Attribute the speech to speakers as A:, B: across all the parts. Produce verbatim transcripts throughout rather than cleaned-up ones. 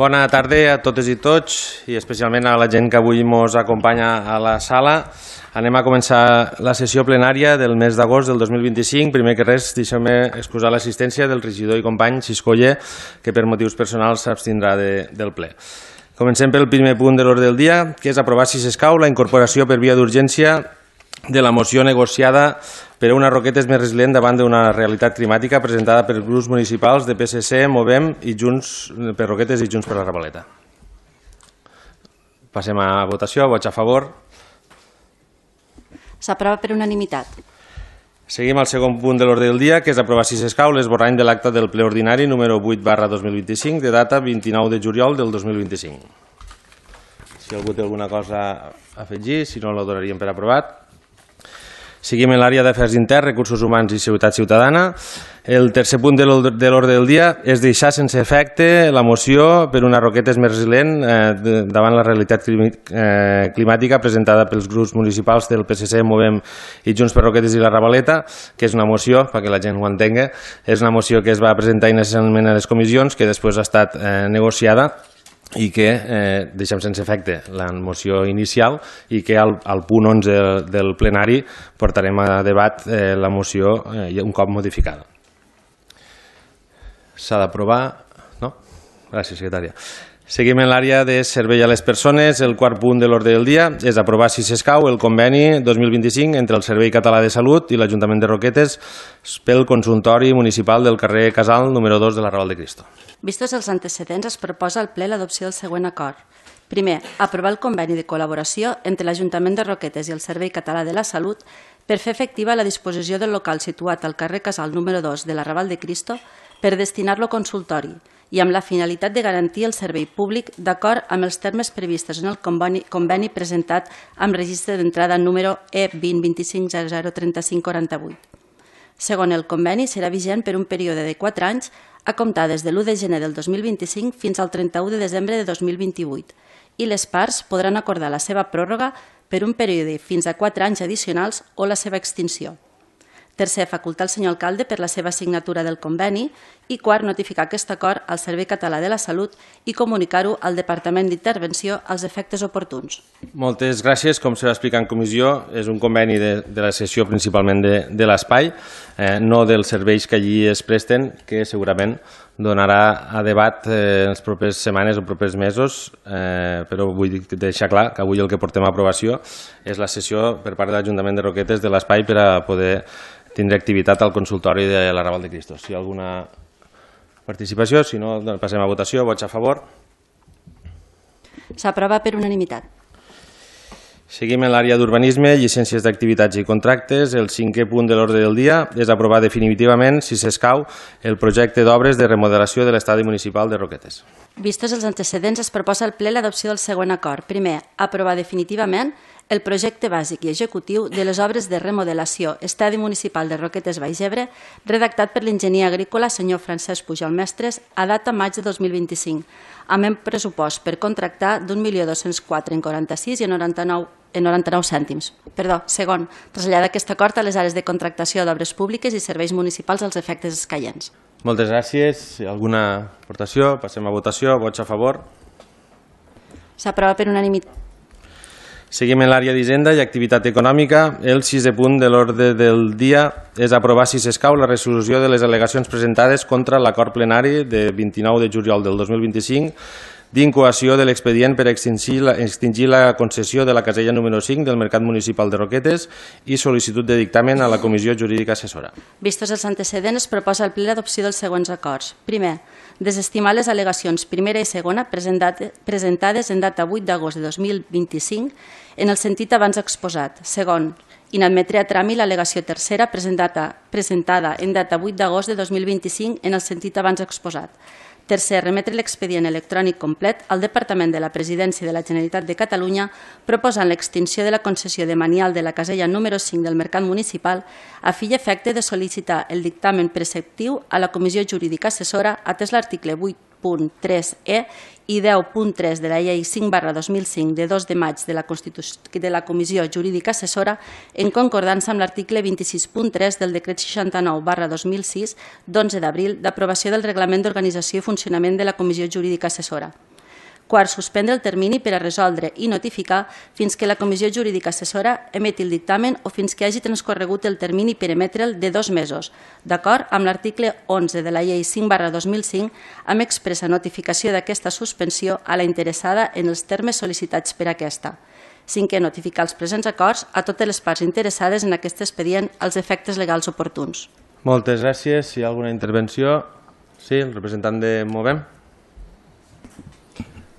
A: Bona tarda a totes i tots i especialment a la gent que avui ens acompanya a la sala. Anem a començar la sessió plenària del mes d'agost del dos mil vint-i-cinc. Primer que res, deixeu-me excusar l'assistència del regidor i company Xiscoller, que per motius personals s'abstindrà de, del ple. Comencem pel primer punt de l'ordre del dia, que és aprovar, si s'escau, la incorporació per via d'urgència de la moció negociada per a una Roquetes més resilient davant d'una realitat climàtica presentada per grups municipals de P S C, Movem i Junts per Roquetes i Junts per la Revaleta. Passem a votació. Vots a favor.
B: S'aprova per unanimitat.
A: Seguim al segon punt de l'ordre del dia, que és aprovar, si s'escau, l'esborrany de l'acte del ple ordinari número vuit barra dos mil vint-i-cinc de data vint-i-nou de juliol del dos mil vint-i-cinc. Si algú té alguna cosa a afegir, si no, la donaríem per aprovat. Seguim en l'àrea d'afers interns, recursos humans i seguretat ciutadana. El tercer punt de l'ordre del dia és deixar sense efecte la moció per una Roquetes més resilient eh, davant la realitat climàtica presentada pels grups municipals del P S C, Movem i Junts per Roquetes i la Revaleta, que és una moció, perquè la gent ho entengui, és una moció que es va presentar inicialment a les comissions, que després ha estat eh, negociada i que eh, deixem sense efecte la moció inicial i que al, al punt onze del, del plenari portarem a debat eh, la moció eh, un cop modificada. S'ha d'aprovar? No? Gràcies, secretària. Seguim en l'àrea de servei a les persones. El quart punt de l'ordre del dia és aprovar, si s'escau, el conveni dos mil vint-i-cinc entre el Servei Català de Salut i l'Ajuntament de Roquetes pel consultori municipal del carrer Casal número dos de la Raval de Cristo.
B: Vistos els antecedents, es proposa al ple l'adopció del següent acord. Primer, aprovar el conveni de col·laboració entre l'Ajuntament de Roquetes i el Servei Català de la Salut per fer efectiva la disposició del local situat al carrer Casal número dos de la Raval de Cristo per destinar-lo a consultori i amb la finalitat de garantir el servei públic d'acord amb els termes previstos en el conveni, conveni presentat amb registre d'entrada número E vint vint-i-cinc zero zero trenta-cinc quaranta-vuit. Segon, el conveni serà vigent per un període de quatre anys a comptar des de l'u de gener del dos mil vint-i-cinc fins al trenta-u de desembre de dos mil vint-i-vuit i les parts podran acordar la seva pròrroga per un període fins a quatre anys addicionals o la seva extinció. Tercer, facultar el senyor alcalde per la seva signatura del conveni i quart, notificar aquest acord al Servei Català de la Salut i comunicar-ho al Departament d'Intervenció als efectes oportuns.
A: Moltes gràcies. Com se va explicar en comissió, és un conveni de, de la sessió principalment de, de l'espai, eh, no dels serveis que allí es presten, que segurament donarà a debat eh, en les properes setmanes o propers mesos, eh, però vull deixar clar que avui el que portem a aprovació és la sessió per part de l'Ajuntament de Roquetes de l'espai per a poder tindre activitat al consultori de la Raval de Cristo. Si hi ha alguna participació, si no, passem a votació. Vots a favor.
B: S'aprova per unanimitat.
A: Seguim en l'àrea d'urbanisme, llicències d'activitats i contractes. El cinquè punt de l'ordre del dia és aprovar definitivament, si s'escau, el projecte d'obres de remodelació de l'estadi municipal de Roquetes.
B: Vistos els antecedents, es proposa al ple l'adopció del següent acord. Primer, aprovar definitivament el projecte bàsic i executiu de les obres de remodelació Estadi Municipal de Roquetes Baix Ebre, redactat per l'enginyer agrícola senyor Francesc Pujol Mestres a data maig de dos mil vint-i-cinc, amb un pressupost per contractar d'un milió dos-cents quatre coma quaranta-sis i noranta-nou cèntims. Perdó, segon, traslladar aquest acord a les àrees de contractació d'obres públiques i serveis municipals als efectes escaients.
A: Moltes gràcies. Alguna aportació? Passem a votació. Vots a favor.
B: S'aprova per unanimitat.
A: Seguim en l'àrea d'Hisenda i activitat econòmica. El sisè punt de l'ordre del dia és aprovar, si s'escau, la resolució de les al·legacions presentades contra l'acord plenari de vint-i-nou de juliol del dos mil vint-i-cinc d'incoació de l'expedient per extingir la, extingir la concessió de la casella número cinc del Mercat Municipal de Roquetes i sol·licitud de dictamen a la Comissió Jurídica Assessora.
B: Vistos els antecedents, es proposa al ple l'adopció dels següents acords. Primer, desestimar les al·legacions primera i segona presentades en data vuit d'agost de dos mil vint-i-cinc en el sentit abans exposat. Segon, inadmetre a tràmit l'al·legació tercera presentada en data vuit d'agost de dos mil vint-i-cinc en el sentit abans exposat. Tercer, remetre l'expedient electrònic complet al Departament de la Presidència de la Generalitat de Catalunya proposant l'extinció de la concessió de manial de la casella número cinc del Mercat Municipal a fi i efecte de sol·licitar el dictamen preceptiu a la Comissió Jurídica Assessora atès l'article vuit punt tres e i deu punt tres de la llei cinc barra dos mil cinc de dos de maig de la, de la Comissió Jurídica Assessora en concordança amb l'article vint-i-sis punt tres del decret seixanta-nou barra dos mil sis d'onze d'abril d'aprovació del Reglament d'Organització i Funcionament de la Comissió Jurídica Assessora. Quart, suspendre el termini per a resoldre i notificar fins que la Comissió Jurídica Assessora emeti el dictamen o fins que hagi transcorregut el termini per emetre'l de dos mesos, d'acord amb l'article onze de la Llei cinc barra dos mil cinc, amb expressa notificació d'aquesta suspensió a la interessada en els termes sol·licitats per aquesta. Cinquè, notificar els presents acords a totes les parts interessades en aquest expedient als efectes legals oportuns.
A: Moltes gràcies. Si hi ha alguna intervenció? Sí, el representant de Movem.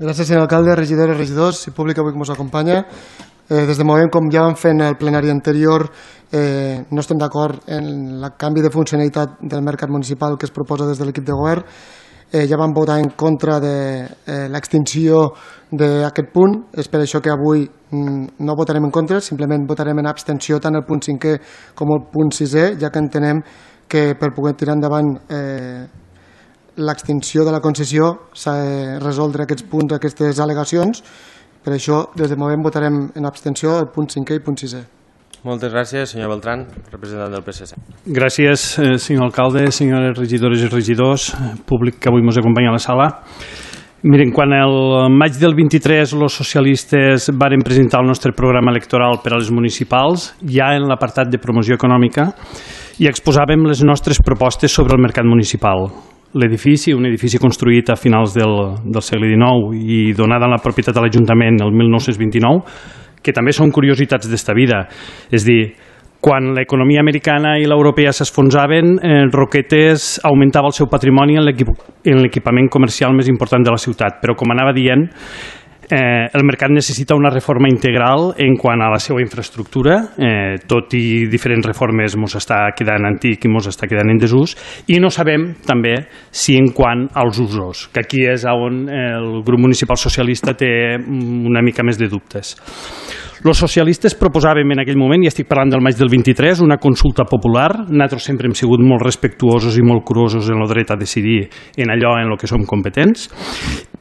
C: Gràcies, senyor alcalde, regidores, regidors i públic avui que ens acompanya. Eh, des de Movem, com ja vam fer en el plenari anterior, eh, no estem d'acord en el canvi de funcionalitat del mercat municipal que es proposa des de l'equip de govern. Eh, ja vam votar en contra de eh, l'extinció d'aquest punt. És per això que avui mm, no votarem en contra, simplement votarem en abstenció tant el punt cinquè com el punt sisè, ja que entenem que per poder tirar endavant eh, l'extinció de la concessió s'ha de resoldre aquests punts, aquestes al·legacions. Per això, des de Movem, votarem en abstenció el punt cinquè i el punt sisè.
A: Moltes gràcies, senyor Beltrán, representant del P S C.
D: Gràcies, senyor alcalde, senyores regidores i regidors, públic que avui ens acompanya a la sala. Miren, quan el maig del vint-i-tres els socialistes varen presentar el nostre programa electoral per a les municipals, ja en l'apartat de promoció econòmica, i exposàvem les nostres propostes sobre el mercat municipal. L'edifici, un edifici construït a finals del, del segle dinou i donada en la propietat de l'Ajuntament el mil nou-cents vint-i-nou, que també són curiositats d'esta vida. És dir, quan l'economia americana i l'europea s'esfonsaven, eh, Roquetes augmentava el seu patrimoni en l'equipament comercial més important de la ciutat. Però, com anava dient, Eh, el mercat necessita una reforma integral en quant a la seva infraestructura, eh, tot i diferents reformes ens està quedant antic i ens està quedant en desús, i no sabem també si en quant als usos, que aquí és on el grup municipal socialista té una mica més de dubtes. Els socialistes proposàvem en aquell moment, i estic parlant del maig del vint-i-tres, una consulta popular. Nosaltres sempre hem sigut molt respectuosos i molt curosos en el dret a decidir en allò en el que som competents,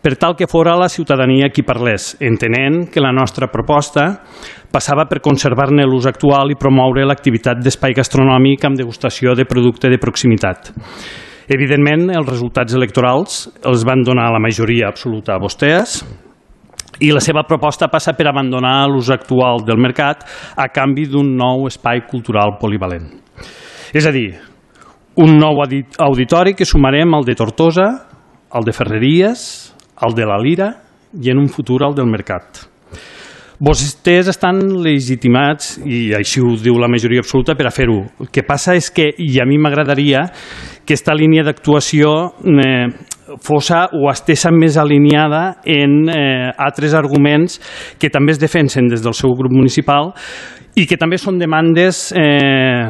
D: per tal que fora la ciutadania qui parlés, entenent que la nostra proposta passava per conservar-ne l'ús actual i promoure l'activitat d'espai gastronòmic amb degustació de producte de proximitat. Evidentment, els resultats electorals els van donar la majoria absoluta a vostès, i la seva proposta passa per abandonar l'ús actual del mercat a canvi d'un nou espai cultural polivalent. És a dir, un nou auditori que sumarem al de Tortosa, al de Ferreries, al de la Lira i en un futur al del Mercat. Vostès estan legitimats, i així ho diu la majoria absoluta, per a fer-ho. El que passa és que, i a mi m'agradaria, que aquesta línia d'actuació eh, fossa o estesa més alineada en eh, altres arguments que també es defensen des del seu grup municipal i que també són demandes eh,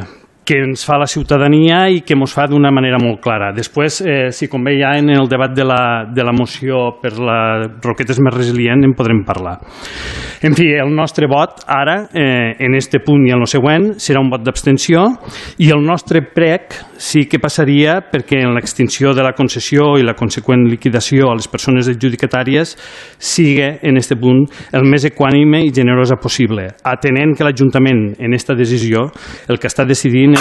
D: que ens fa la ciutadania i que ens fa d'una manera molt clara. Després, eh, si convé ja en el debat de la, de la moció per la Roquetes més resilient en podrem parlar. En fi, el nostre vot ara, eh, en este punt i en el següent, serà un vot d'abstenció, i el nostre prec sí que passaria perquè en l'extinció de la concessió i la conseqüent liquidació a les persones adjudicatàries sigui en este punt el més equànime i generosa possible, atenent que l'Ajuntament en esta decisió el que està decidint és...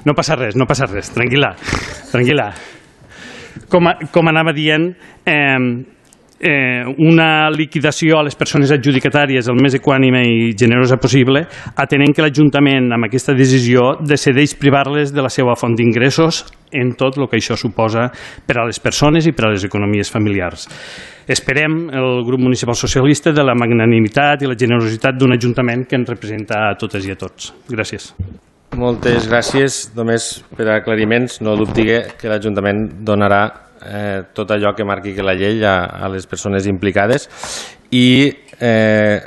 D: No passa res, no passa res, tranquil·la, tranquil·la. Com, a, com anava dient, eh, Eh, una liquidació a les persones adjudicatàries el més equànime i generosa possible, atenent que l'Ajuntament amb aquesta decisió decideix privar-les de la seva font d'ingressos en tot el que això suposa per a les persones i per a les economies familiars. Esperem el grup municipal socialista de la magnanimitat i la generositat d'un Ajuntament que ens representa a totes i a tots. Gràcies.
A: Moltes gràcies. Només per aclariments, no dubti que l'Ajuntament donarà Eh, tot allò que marqui que la llei a, a les persones implicades i eh,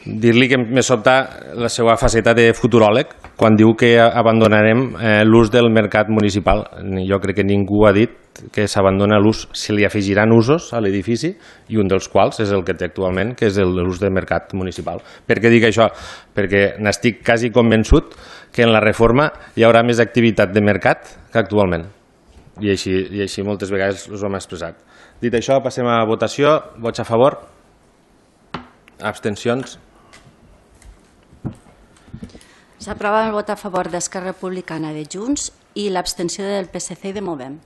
A: dir-li que me sobta la seva faceta de futuròleg quan diu que abandonarem eh, l'ús del mercat municipal. Jo crec que ningú ha dit que s'abandona l'ús, se li afegiran usos a l'edifici i un dels quals és el que té actualment, que és l'ús del mercat municipal. Per què dic això? Perquè n'estic quasi convençut que en la reforma hi haurà més activitat de mercat que actualment. I així, i així moltes vegades us ho hem expressat. Dit això, passem a votació. Vots a favor? Abstencions?
B: S'aprova el vot a favor d'Esquerra Republicana de Junts i l'abstenció del P S C i de Movem.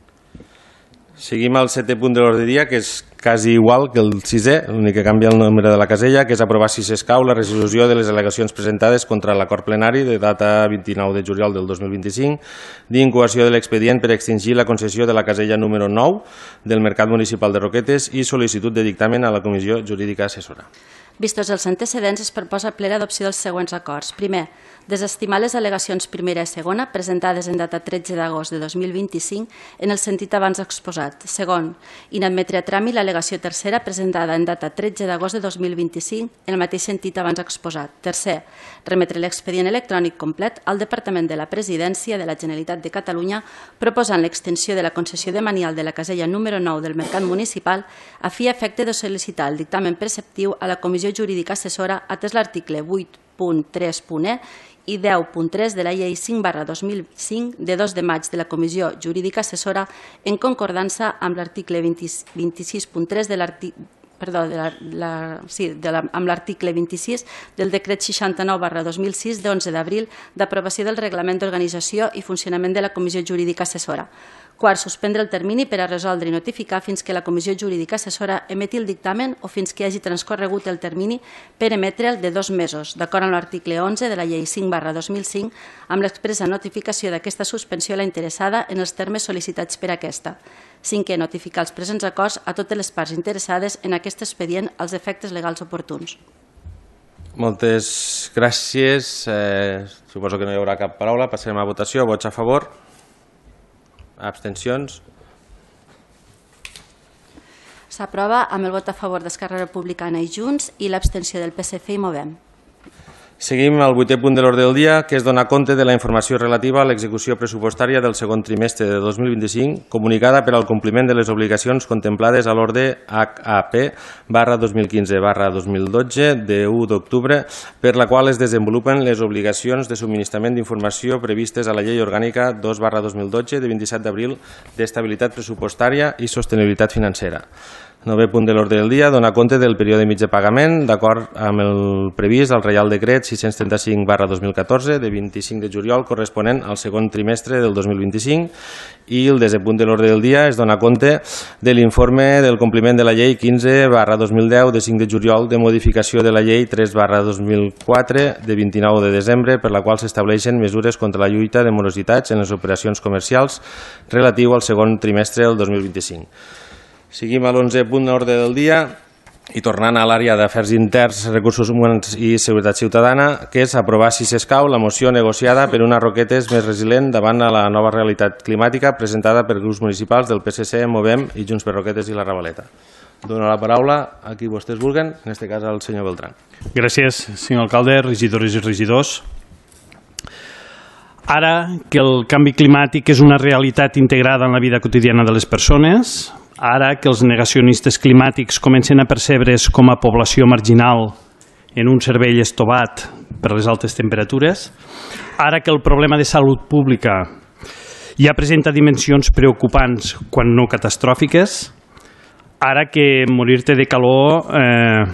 A: Seguim al setè punt de l'ordre del dia, que és quasi igual que el sisè, l'únic que canvia el nombre de la casella, que és aprovar, si s'escau, la resolució de les al·legacions presentades contra l'acord plenari de data vint-i-nou de juliol del dos mil vint-i-cinc d'incoació de l'expedient per extingir la concessió de la casella número nou del Mercat Municipal de Roquetes i sol·licitud de dictamen a la Comissió Jurídica Assessora.
B: Vistos els antecedents, es proposa ple l'adopció dels següents acords. Primer, desestimar les al·legacions primera i segona presentades en data tretze d'agost de dos mil vint-i-cinc en el sentit abans exposat. Segon, inadmetre a tràmit l'al·legació tercera presentada en data tretze d'agost de dos mil vint-i-cinc en el mateix sentit abans exposat. Tercer, remetre l'expedient electrònic complet al Departament de la Presidència de la Generalitat de Catalunya proposant l'extensió de la concessió de manial de la casella número nou del Mercat Municipal a fi i efecte de sol·licitar el dictamen preceptiu a la Comissió Jurídica Assessora atès l'article vuit punt tres punt e i deu punt tres de la Llei cinc barra dos mil cinc de dos de maig de la Comissió Jurídica Assessora en concordança amb l'article vint-i-sis punt tres de l'article Perdó, de la, la, sí, de la, amb l'article vint-i-sis del decret seixanta-nou barra dos mil sis d'onze d'abril d'aprovació del Reglament d'Organització i Funcionament de la Comissió Jurídica Assessora. Quart, suspendre el termini per a resoldre i notificar fins que la Comissió Jurídica Assessora emeti el dictamen o fins que hagi transcorregut el termini per emetre'l de dos mesos, d'acord amb l'article onze de la Llei cinc barra dos mil cinc, amb l'expressa notificació d'aquesta suspensió a la interessada en els termes sol·licitats per aquesta. Cinquè, notificar els presents acords a totes les parts interessades en aquest expedient als efectes legals oportuns.
A: Moltes gràcies. Eh, suposo que no hi haurà cap paraula. Passarem a votació. Vots a favor? Abstencions?
B: S'aprova amb el vot a favor d'Esquerra Republicana i Junts i l'abstenció del P S C i Movem.
A: Seguim al vuitè punt de l'ordre del dia, que és donar compte de la informació relativa a l'execució pressupostària del segon trimestre de dos mil vint-i-cinc, comunicada per al compliment de les obligacions contemplades a l'ordre H A P barra dos mil quinze barra dos mil dotze de u d'octubre, per la qual es desenvolupen les obligacions de subministrament d'informació previstes a la Llei Orgànica dos barra dos mil dotze de vint-i-set d'abril d'estabilitat pressupostària i sostenibilitat financera. Novè punt de l'ordre del dia, donar compte del període mig de pagament d'acord amb el previst al Reial Decret sis-cents trenta-cinc barra dos mil catorze de vint-i-cinc de juliol corresponent al segon trimestre del dos mil vint-i-cinc i el desè punt de l'ordre del dia és donar compte de l'informe del compliment de la Llei quinze barra dos mil deu de cinc de juliol de modificació de la Llei tres barra dos mil quatre de vint-i-nou de desembre per la qual s'estableixen mesures contra la lluita de morositats en les operacions comercials relatiu al segon trimestre del dos mil vint-i-cinc. Seguim a l'onzè punt de l'ordre del dia i tornant a l'àrea d'Afers Interns, Recursos Humans i Seguretat Ciutadana, que és aprovar, si s'escau, la moció negociada per una Roquetes més resilient davant a la nova realitat climàtica presentada per grups municipals del P S C, Movem i Junts per Roquetes i la Ravaleta. Dono la paraula a qui vostès vulguen, en aquest cas al senyor Beltrán.
D: Gràcies, senyor alcalde, regidores i regidors. Ara que el canvi climàtic és una realitat integrada en la vida quotidiana de les persones, ara que els negacionistes climàtics comencen a percebre's com a població marginal en un cervell estovat per les altes temperatures, ara que el problema de salut pública ja presenta dimensions preocupants quan no catastròfiques, ara que morir-te de calor eh,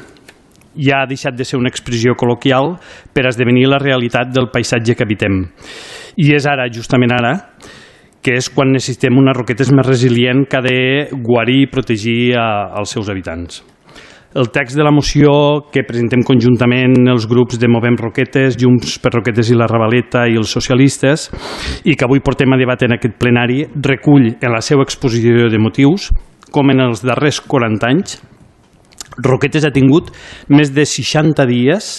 D: ja ha deixat de ser una expressió col·loquial per esdevenir la realitat del paisatge que habitem. I és ara, justament ara, que és quan necessitem una Roquetes més resilient que ha de guarir i protegir a, als seus habitants. El text de la moció que presentem conjuntament els grups de Movem Roquetes, Junts per Roquetes i la Ravaleta i els socialistes, i que avui portem a debat en aquest plenari, recull en la seva exposició de motius com en els darrers quaranta anys Roquetes ha tingut més de seixanta dies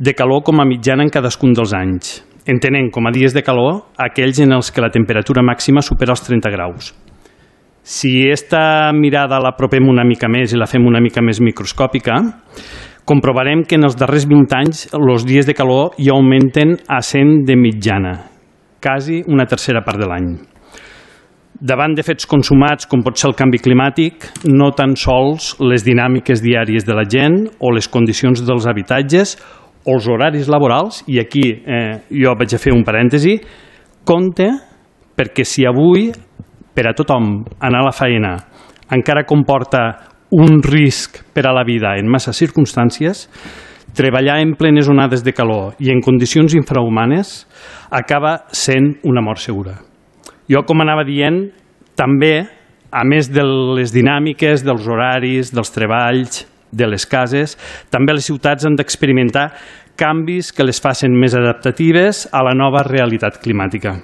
D: de calor com a mitjana en cadascun dels anys, entenent com a dies de calor aquells en els que la temperatura màxima supera els trenta graus. Si esta mirada la apropem una mica més i la fem una mica més microscòpica, comprovarem que en els darrers vint anys els dies de calor ja augmenten a cent de mitjana, quasi una tercera part de l'any. Davant de fets consumats com pot ser el canvi climàtic, no tan sols les dinàmiques diàries de la gent o les condicions dels habitatges o els horaris laborals, i aquí eh, jo vaig a fer un parèntesi, compte perquè si avui per a tothom anar a la feina encara comporta un risc per a la vida en massa circumstàncies, treballar en plenes onades de calor i en condicions infrahumanes acaba sent una mort segura. Jo, com anava dient, també a més de les dinàmiques, dels horaris, dels treballs, de les cases, també les ciutats han d'experimentar canvis que les facin més adaptatives a la nova realitat climàtica.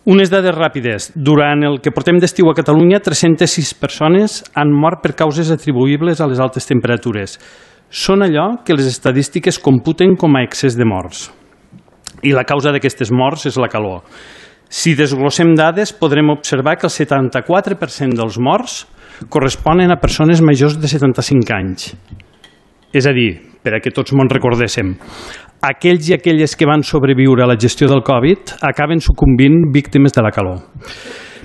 D: Unes dades ràpides. Durant el que portem d'estiu a Catalunya, tres-centes sis persones han mort per causes atribuïbles a les altes temperatures. Són allò que les estadístiques computen com a excés de morts. I la causa d'aquestes morts és la calor. Si desglossem dades, podrem observar que el setanta-quatre per cent dels morts corresponen a persones majors de setanta-cinc anys. És a dir, per a que tots mos recordéssim, aquells i aquelles que van sobreviure a la gestió del Covid acaben sucumbint víctimes de la calor.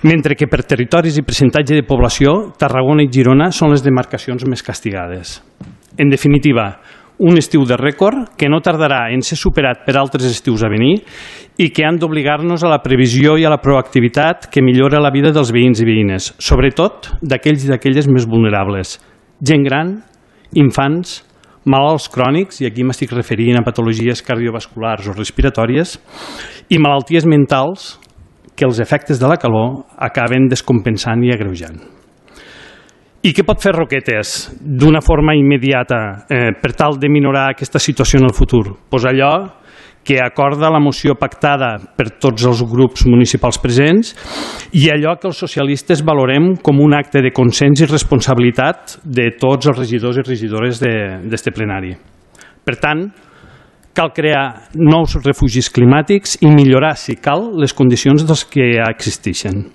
D: Mentre que per territoris i percentatge de població, Tarragona i Girona són les demarcacions més castigades. En definitiva, un estiu de rècord que no tardarà en ser superat per altres estius a venir i que han d'obligar-nos a la previsió i a la proactivitat que millora la vida dels veïns i veïnes, sobretot d'aquells i d'aquelles més vulnerables. Gent gran, infants, malalts crònics, i aquí m'estic referint a patologies cardiovasculars o respiratòries, i malalties mentals que els efectes de la calor acaben descompensant i agreujant. I què pot fer Roquetes d'una forma immediata eh, per tal de minorar aquesta situació en el futur? Pues allò que acorda la moció pactada per tots els grups municipals presents i allò que els socialistes valorem com un acte de consens i responsabilitat de tots els regidors i regidores d'aquest plenari. Per tant, cal crear nous refugis climàtics i millorar, si cal, les condicions dels que ja existeixen.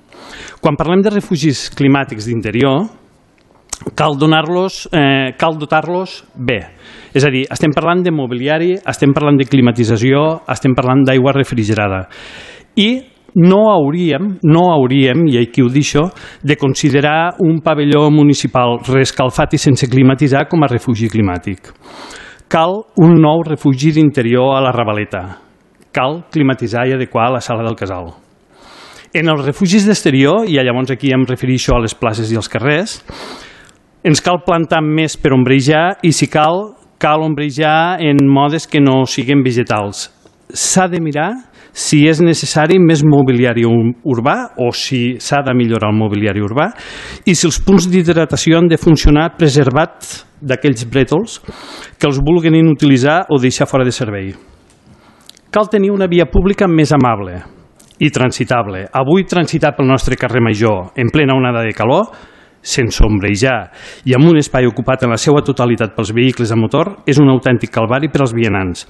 D: Quan parlem de refugis climàtics d'interior, cal donar-los, eh, cal dotar-los bé. És a dir, estem parlant de mobiliari, estem parlant de climatització, estem parlant d'aigua refrigerada. I no hauríem, no hauríem, i aquí ho deixo, de considerar un pavelló municipal reescalfat i sense climatitzar com a refugi climàtic. Cal un nou refugi d'interior a la Ravaleta. Cal climatitzar i adequar la sala del casal. En els refugis d'exterior, i llavors aquí em refereixo a les places i als carrers, ens cal plantar més per ombrejar i, si cal, cal ombrejar en modes que no siguin vegetals. S'ha de mirar si és necessari més mobiliari urbà o si s'ha de millorar el mobiliari urbà i si els punts d'hidratació han de funcionar preservats d'aquells brètols que els vulguin inutilitzar o deixar fora de servei. Cal tenir una via pública més amable i transitable. Avui transitar pel nostre carrer Major en plena onada de calor, sense ombrejar i amb un espai ocupat en la seva totalitat pels vehicles a motor, és un autèntic calvari per als vianants.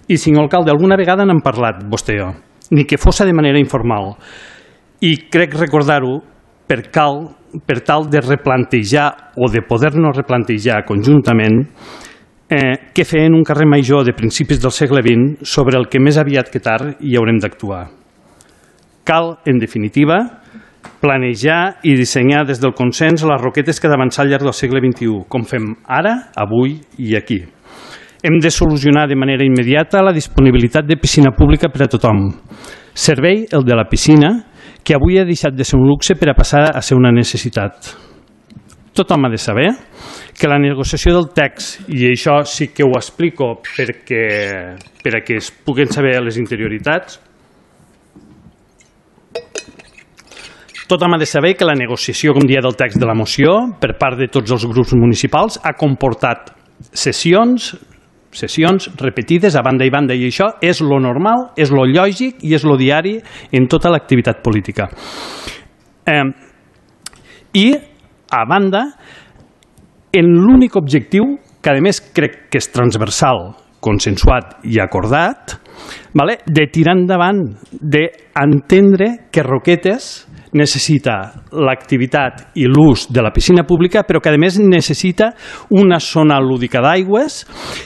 D: I, senyor alcalde, alguna vegada n'hem parlat, vostè i jo, ni que fos de manera informal. I crec recordar-ho per, cal, per tal de replantejar o de poder-nos replantejar conjuntament eh, què fer en un carrer Major de principis del segle vint sobre el que més aviat que tard hi haurem d'actuar. Cal, en definitiva, planejar i dissenyar des del consens les roquetes que ha d'avançar al llarg del segle vint-i-u, com fem ara, avui i aquí. Hem de solucionar de manera immediata la disponibilitat de piscina pública per a tothom. Servei, el de la piscina, que avui ha deixat de ser un luxe per a passar a ser una necessitat. Tothom ha de saber que la negociació del text, i això sí que ho explico perquè, per a que es puguen saber les interioritats, tothom ha de saber que la negociació, com dia del text de la moció, per part de tots els grups municipals, ha comportat sessions, sessions repetides a banda i banda, i això és lo normal, és lo lògic i és lo diari en tota l'activitat política. Eh, I, a banda, en l'únic objectiu, que a més crec que és transversal, consensuat i acordat, vale, de tirar endavant, d'entendre que Roquetes necessita l'activitat i l'ús de la piscina pública, però que a més necessita una zona lúdica d'aigües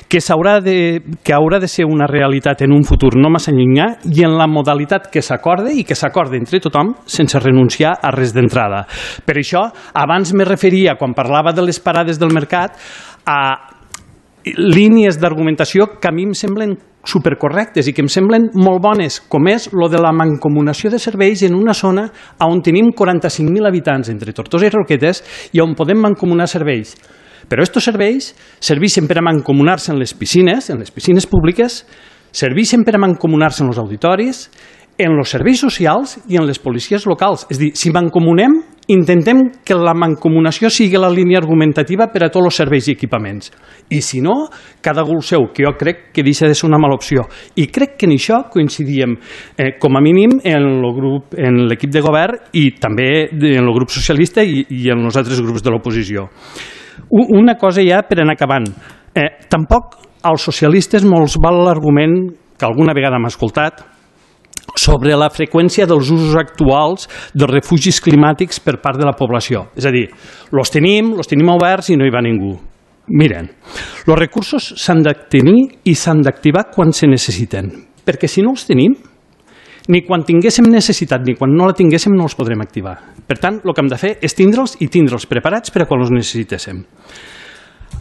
D: que, de, que haurà de ser una realitat en un futur no massa llunyà i en la modalitat que s'acorde i que s'acorde entre tothom sense renunciar a res d'entrada. Per això, abans me referia, quan parlava de les parades del mercat, a línies d'argumentació que a mi em semblen supercorrectes i que em semblen molt bones, com és lo de la mancomunació de serveis en una zona on tenim quaranta-cinc mil habitants entre Tortosa i Roquetes i on podem mancomunar serveis. Però aquests serveis serveixen per a mancomunar-se en les piscines, en les piscines públiques, serveixen per a mancomunar-se en els auditoris, en els serveis socials i en les policies locals. És a dir, si mancomunem, intentem que la mancomunació sigui la línia argumentativa per a tots els serveis i equipaments. I si no, cada gul seu, que jo crec que deixa de ser una mala opció. I crec que en això coincidíem, eh, com a mínim, en l'equip de govern i també en el grup socialista i, i en els altres grups de l'oposició. Una cosa ja per anar acabant. Eh, tampoc als socialistes molts val l'argument que alguna vegada m'ha escoltat sobre la freqüència dels usos actuals dels refugis climàtics per part de la població. És a dir, els tenim, els tenim oberts i no hi va ningú. Miren, els recursos s'han de tenir i s'han d'activar quan se necessiten, perquè si no els tenim, ni quan tinguéssim necessitat ni quan no la tinguéssim no els podrem activar. Per tant, el que hem de fer és tindre'ls i tindre'ls preparats per a quan els necessitéssim.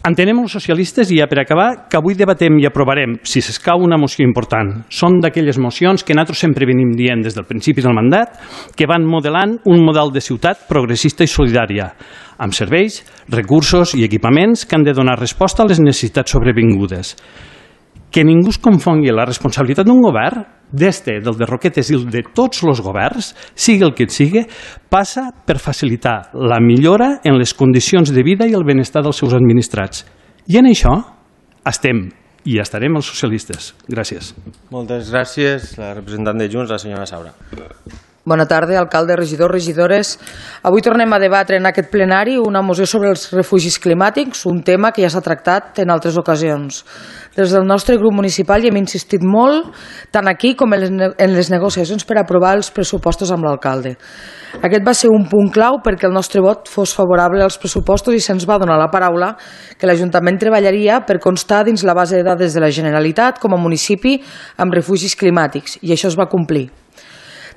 D: Entenem els socialistes, i ja per acabar, que avui debatem i aprovarem, si s'escau, una moció important. Són d'aquelles mocions que nosaltres sempre venim dient des del principi del mandat, que van modelant un model de ciutat progressista i solidària, amb serveis, recursos i equipaments que han de donar resposta a les necessitats sobrevingudes. Que ningú es confongui la responsabilitat d'un govern, d'este, del de Roquetes i el de tots els governs, sigui el que et sigui, passa per facilitar la millora en les condicions de vida i el benestar dels seus administrats. I en això estem i estarem els socialistes. Gràcies.
A: Moltes gràcies. La representant de Junts, la senyora Saura.
E: Bona tarda, alcalde, regidors, regidores. Avui tornem a debatre en aquest plenari una moció sobre els refugis climàtics, un tema que ja s'ha tractat en altres ocasions. Des del nostre grup municipal hi hem insistit molt, tant aquí com en les negociacions per aprovar els pressupostos amb l'alcalde. Aquest va ser un punt clau perquè el nostre vot fos favorable als pressupostos i se'ns va donar la paraula que l'Ajuntament treballaria per constar dins la base de dades de la Generalitat com a municipi amb refugis climàtics, i això es va complir.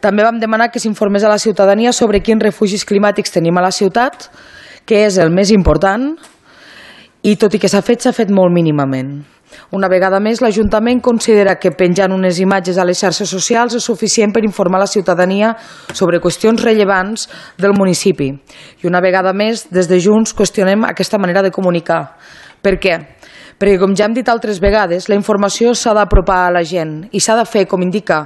E: També vam demanar que s'informés a la ciutadania sobre quins refugis climàtics tenim a la ciutat, que és el més important, i tot i que s'ha fet, s'ha fet molt mínimament. Una vegada més, l'Ajuntament considera que penjant unes imatges a les xarxes socials és suficient per informar la ciutadania sobre qüestions rellevants del municipi. I una vegada més, des de Junts, qüestionem aquesta manera de comunicar. Per què? Perquè, com ja hem dit altres vegades, la informació s'ha d'apropar a la gent i s'ha de fer, com indica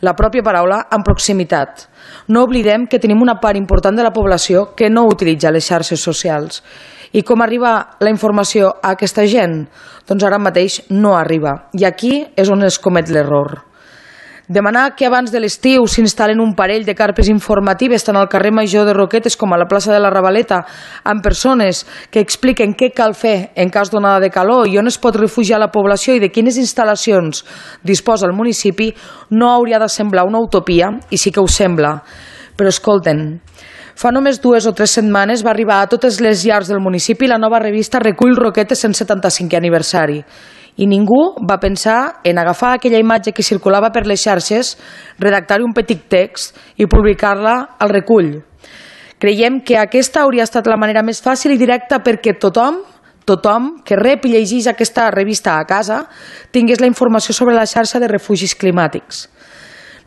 E: la pròpia paraula, en proximitat. No oblidem que tenim una part important de la població que no utilitza les xarxes socials. I com arriba la informació a aquesta gent? Doncs ara mateix no arriba. I aquí és on es comet l'error. Demanar que abans de l'estiu s'instal·len un parell de carpes informatives tant al carrer Major de Roquetes com a la plaça de la Ravaleta amb persones que expliquen què cal fer en cas d'onada de calor i on es pot refugiar la població i de quines instal·lacions disposa el municipi no hauria de semblar una utopia, i sí que ho sembla. Però escolten, fa només dues o tres setmanes va arribar a totes les llars del municipi la nova revista Recull Roquetes cent setanta-cinquè aniversari. I ningú va pensar en agafar aquella imatge que circulava per les xarxes, redactar-hi un petit text i publicar-la al recull. Creiem que aquesta hauria estat la manera més fàcil i directa perquè tothom, tothom que rep i llegeix aquesta revista a casa tingués la informació sobre la xarxa de refugis climàtics.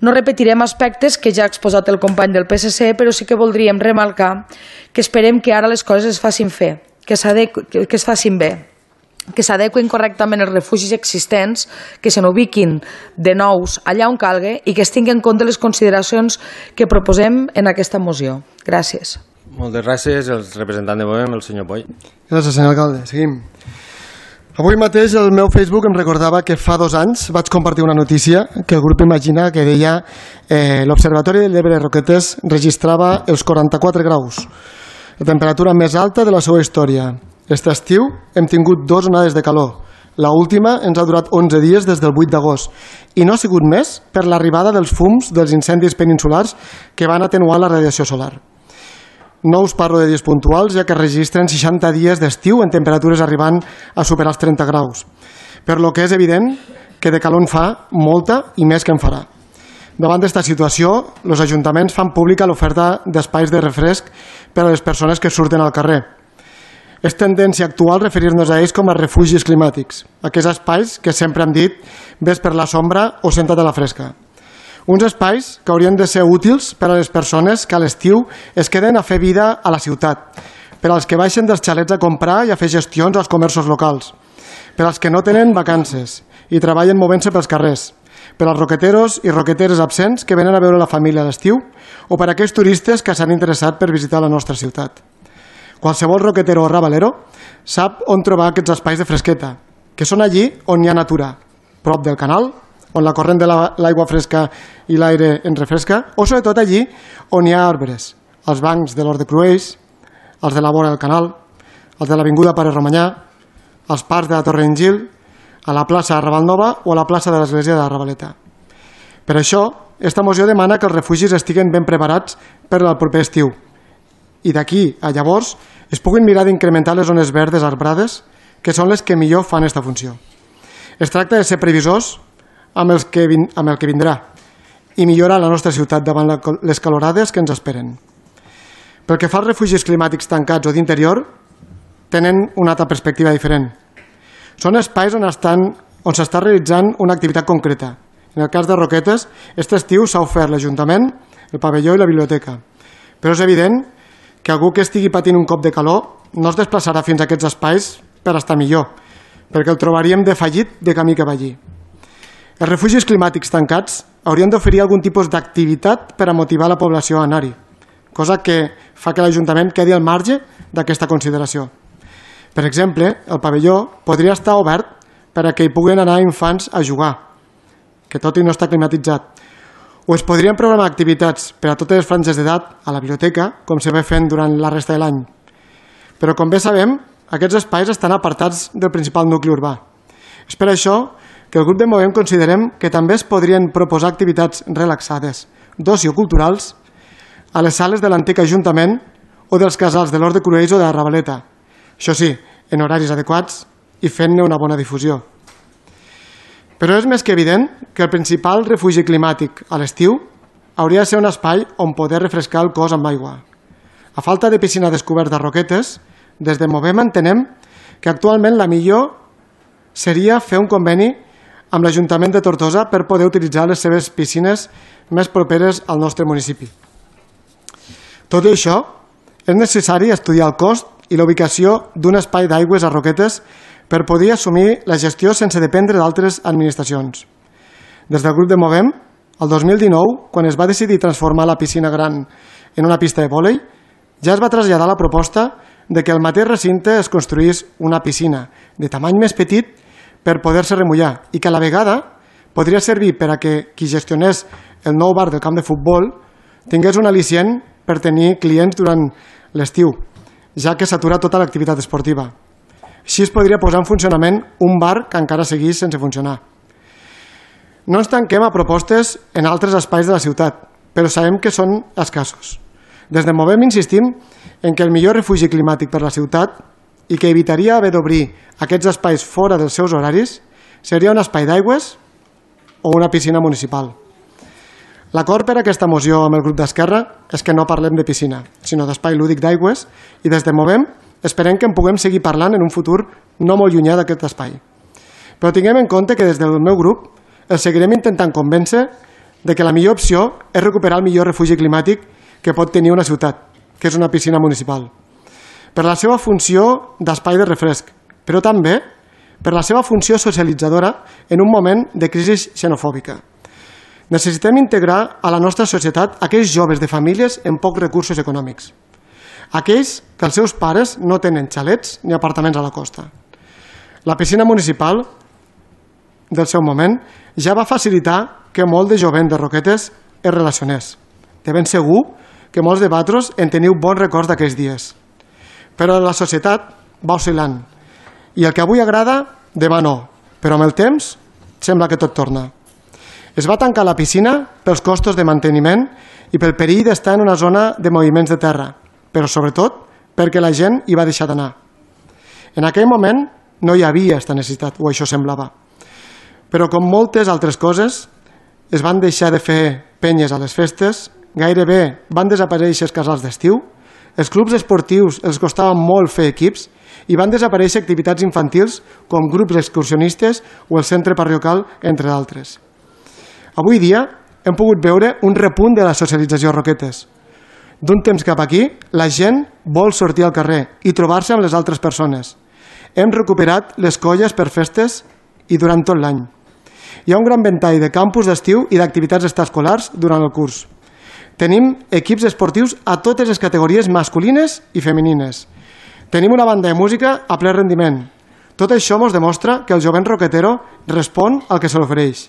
E: No repetirem aspectes que ja ha exposat el company del P S C, però sí que voldríem remarcar que esperem que ara les coses es facin fer, que, que es facin bé, que s'adequen correctament els refugis existents, que se n'ubiquin de nous allà on calgui i que es tinguin en compte les consideracions que proposem en aquesta moció. Gràcies.
A: Moltes gràcies. El representant de Bovem, el senyor Poi.
C: Gràcies, senyor alcalde. Seguim. Avui mateix el meu Facebook em recordava que fa dos anys vaig compartir una notícia que el grup Imagina que deia eh, l'Observatori de l'Ebre Roquetes registrava els quaranta-quatre graus, la temperatura més alta de la seva història. Aquest estiu hem tingut dues onades de calor. L'última ens ha durat onze dies des del vuit d'agost i no ha sigut més per l'arribada dels fums dels incendis peninsulars que van atenuar la radiació solar. No us parlo de dies puntuals, ja que registren seixanta dies d'estiu en temperatures arribant a superar els trenta graus. Per lo que és evident que de calor en fa molta i més que en farà. Davant d'esta situació, els ajuntaments fan pública l'oferta d'espais de refresc per a les persones que surten al carrer. És tendència actual referir-nos a ells com a refugis climàtics, aquests espais que sempre hem dit ves per la sombra o senta't a la fresca. Uns espais que haurien de ser útils per a les persones que a l'estiu es queden a fer vida a la ciutat, per als que baixen dels xalets a comprar i a fer gestions als comerços locals, per als que no tenen vacances i treballen movent-se pels carrers, per als roqueteros i roqueteres absents que venen a veure la família a l'estiu o per a aquells turistes que s'han interessat per visitar la nostra ciutat. Qualsevol roquetero o rabalero sap on trobar aquests espais de fresqueta, que són allí on hi ha natura, prop del canal, on la corrent de l'aigua fresca i l'aire ens refresca, o sobretot allí on hi ha arbres, els bancs de l'Hort de Cruells, els de la vora del canal, els de l'Avinguda Pare Romanyà, els parcs de la Torre Engil, a la plaça de Ravalnova o a la plaça de l'Església de la Ravaleta. Per això, esta moció demana que els refugis estiguen ben preparats per al proper estiu i d'aquí a llavors es puguin mirar d'incrementar les zones verdes arbrades, que són les que millor fan aquesta funció. Es tracta de ser previsors amb, els que vin, amb el que vindrà i millorar la nostra ciutat davant la, les calorades que ens esperen. Pel que fa als refugis climàtics tancats o d'interior, tenen una altra perspectiva diferent. Són espais on estan, on s'està realitzant una activitat concreta. En el cas de Roquetes, aquest estiu s'ha ofert l'Ajuntament, el pavelló i la biblioteca. Però és evident que algú que estigui patint un cop de calor no es desplaçarà fins a aquests espais per estar millor, perquè el trobaríem defallit de camí que va allí. Els refugis climàtics tancats haurien d'oferir algun tipus d'activitat per a motivar la població a anar-hi, cosa que fa que l'Ajuntament quedi al marge d'aquesta consideració. Per exemple, el pavelló podria estar obert per a que hi puguin anar infants a jugar, que tot i no està climatitzat, o es podrien programar activitats per a totes les franges d'edat a la biblioteca, com se ve fent durant la resta de l'any. Però, com bé sabem, aquests espais estan apartats del principal nucli urbà. És per això que el grup de Movem considerem que també es podrien proposar activitats relaxades, d'oci o culturals, a les sales de l'antic Ajuntament o dels casals de l'Hort de Cruells o de la Ravaleta. Això sí, en horaris adequats i fent-ne una bona difusió. Però és més que evident que el principal refugi climàtic a l'estiu hauria de ser un espai on poder refrescar el cos amb aigua. A falta de piscina descoberta a Roquetes, des de Movem entenem que actualment la millor seria fer un conveni amb l'Ajuntament de Tortosa per poder utilitzar les seves piscines més properes al nostre municipi. Tot i això, és necessari estudiar el cost i la ubicació d'un espai d'aigües a Roquetes per poder assumir la gestió sense dependre d'altres administracions. Des del grup de Movem, el dos mil dinou, quan es va decidir transformar la piscina gran en una pista de vòlei, ja es va traslladar la proposta de que el mateix recinte es construís una piscina de tamany més petit per poder-se remullar i que a la vegada podria servir per a que qui gestionés el nou bar del camp de futbol tingués un al·licient per tenir clients durant l'estiu, ja que s'atura tota l'activitat esportiva. Així es podria posar en funcionament un bar que encara seguís sense funcionar. No ens tanquem a propostes en altres espais de la ciutat, però sabem que són escassos. Des de Movem insistim en que el millor refugi climàtic per la ciutat i que evitaria haver d'obrir aquests espais fora dels seus horaris seria un espai d'aigües o una piscina municipal. L'acord per a aquesta moció amb el grup d'Esquerra és que no parlem de piscina, sinó d'espai lúdic d'aigües i des de Movem esperem que en puguem seguir parlant en un futur no molt llunyà d'aquest espai. Però tinguem en compte que des del meu grup el seguirem intentant convèncer de que la millor opció és recuperar el millor refugi climàtic que pot tenir una ciutat, que és una piscina municipal, per la seva funció d'espai de refresc, però també per la seva funció socialitzadora en un moment de crisi xenofòbica. Necessitem integrar a la nostra societat aquells joves de famílies amb pocs recursos econòmics, aquells que els seus pares no tenen xalets ni apartaments a la costa. La piscina municipal del seu moment ja va facilitar que molt de jovent de Roquetes es relacionés. De ben segur que molts de vosaltres en teniu bons records d'aquells dies. Però la societat va oscil·lant i el que avui agrada, demà no, però amb el temps sembla que tot torna. Es va tancar la piscina pels costos de manteniment i pel perill d'estar en una zona de moviments de terra, però sobretot perquè la gent hi va deixar d'anar. En aquell moment no hi havia aquesta necessitat, o això semblava. Però com moltes altres coses, es van deixar de fer penyes a les festes, gairebé van desaparèixer els casals d'estiu, els clubs esportius els costava molt fer equips i van desaparèixer activitats infantils com grups excursionistes o el centre parroquial, entre d'altres. Avui dia hem pogut veure un repunt de la socialització a Roquetes. D'un temps cap aquí, la gent vol sortir al carrer i trobar-se amb les altres persones. Hem recuperat les colles per festes i durant tot l'any. Hi ha un gran ventall de campus d'estiu i d'activitats extraescolars durant el curs. Tenim equips esportius a totes les categories masculines i femenines. Tenim una banda de música a ple rendiment. Tot això ens demostra que el jovent roquetero respon al que se l'ofereix.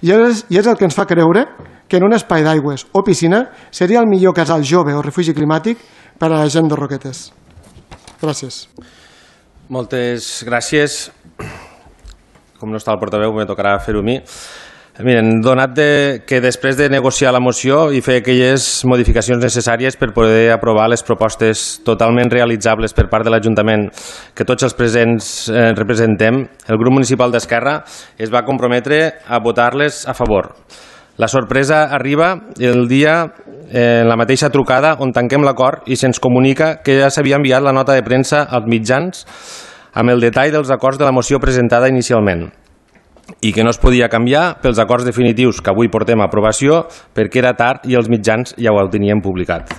C: I és, I és el que ens fa creure que en un espai d'aigües o piscina seria el millor casal jove o refugi climàtic per a la gent de Roquetes. Gràcies.
A: Moltes gràcies. Com no està el portaveu, me tocarà fer-ho a mi. Miren, donat de, que després de negociar la moció i fer aquelles modificacions necessàries per poder aprovar les propostes totalment realitzables per part de l'Ajuntament que tots els presents eh, representem, el grup municipal d'Esquerra es va comprometre a votar-les a favor. La sorpresa arriba el dia en la mateixa trucada on tanquem l'acord i se'ns comunica que ja s'havia enviat la nota de premsa als mitjans amb el detall dels acords de la moció presentada inicialment i que no es podia canviar pels acords definitius que avui portem a aprovació perquè era tard i els mitjans ja ho tenien publicat.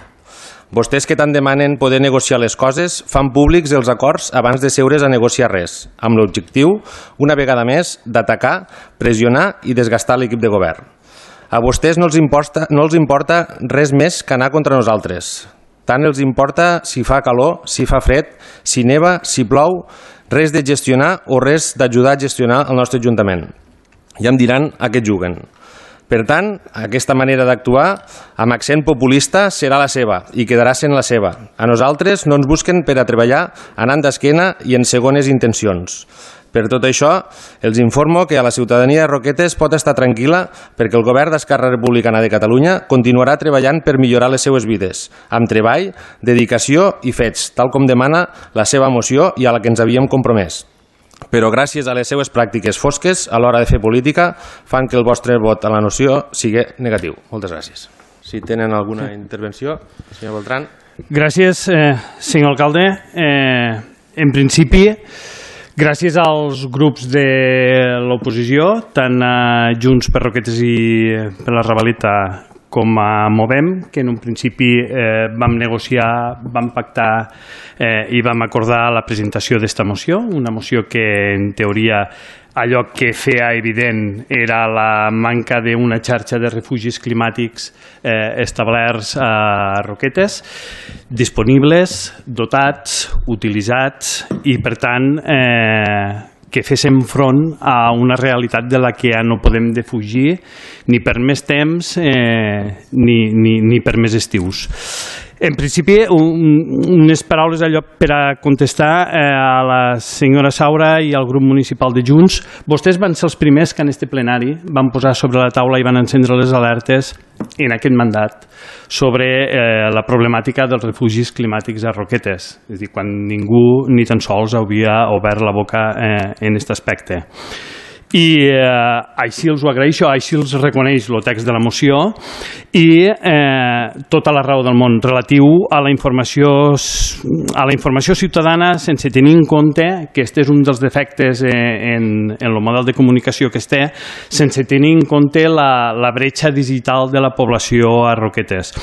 A: Vostès que tant demanen poder negociar les coses fan públics els acords abans de seure's a negociar res, amb l'objectiu, una vegada més, d'atacar, pressionar i desgastar l'equip de govern. A vostès no els importa, no els importa res més que anar contra nosaltres. Tant els importa si fa calor, si fa fred, si neva, si plou, res de gestionar o res d'ajudar a gestionar el nostre Ajuntament. Ja em diran a què juguen. Per tant, aquesta manera d'actuar, amb accent populista, serà la seva i quedarà sent la seva. A nosaltres no ens busquen per a treballar anant d'esquena i en segones intencions. Per tot això, els informo que a la ciutadania de Roquetes pot estar tranquil·la perquè el govern d'Esquerra Republicana de Catalunya continuarà treballant per millorar les seues vides, amb treball, dedicació i fets, tal com demana la seva moció i a la que ens havíem compromès. Però gràcies a les seues pràctiques fosques a l'hora de fer política fan que el vostre vot a la moció sigui negatiu. Moltes gràcies. Si tenen alguna intervenció, senyor Beltrán.
D: Gràcies, eh, senyor alcalde. Eh, en principi, gràcies als grups de l'oposició, tant a Junts per Roquetes i per la Ravalita com a Movem, que en un principi eh, vam negociar, vam pactar eh, i vam acordar la presentació d'esta moció, una moció que en teoria allò que feia evident era la manca d'una xarxa de refugis climàtics eh, establerts a Roquetes, disponibles, dotats, utilitzats i, per tant, eh, que féssim front a una realitat de la que ja no podem defugir ni per més temps eh, ni, ni, ni per més estius. En principi, un, unes paraules allò per a contestar eh, a la senyora Saura i al grup municipal de Junts. Vostès van ser els primers que en este plenari van posar sobre la taula i van encendre les alertes en aquest mandat sobre eh, la problemàtica dels refugis climàtics a Roquetes. És a dir, quan ningú ni tan sols havia obert la boca eh, en aquest aspecte. I eh, així els ho agraeixo, així els reconeix el text de la moció i eh, tota la raó del món relatiu a la informació a la informació ciutadana sense tenir en compte que aquest és un dels defectes eh, en, en el model de comunicació que es té, sense tenir en compte la, la bretxa digital de la població a Roquetes.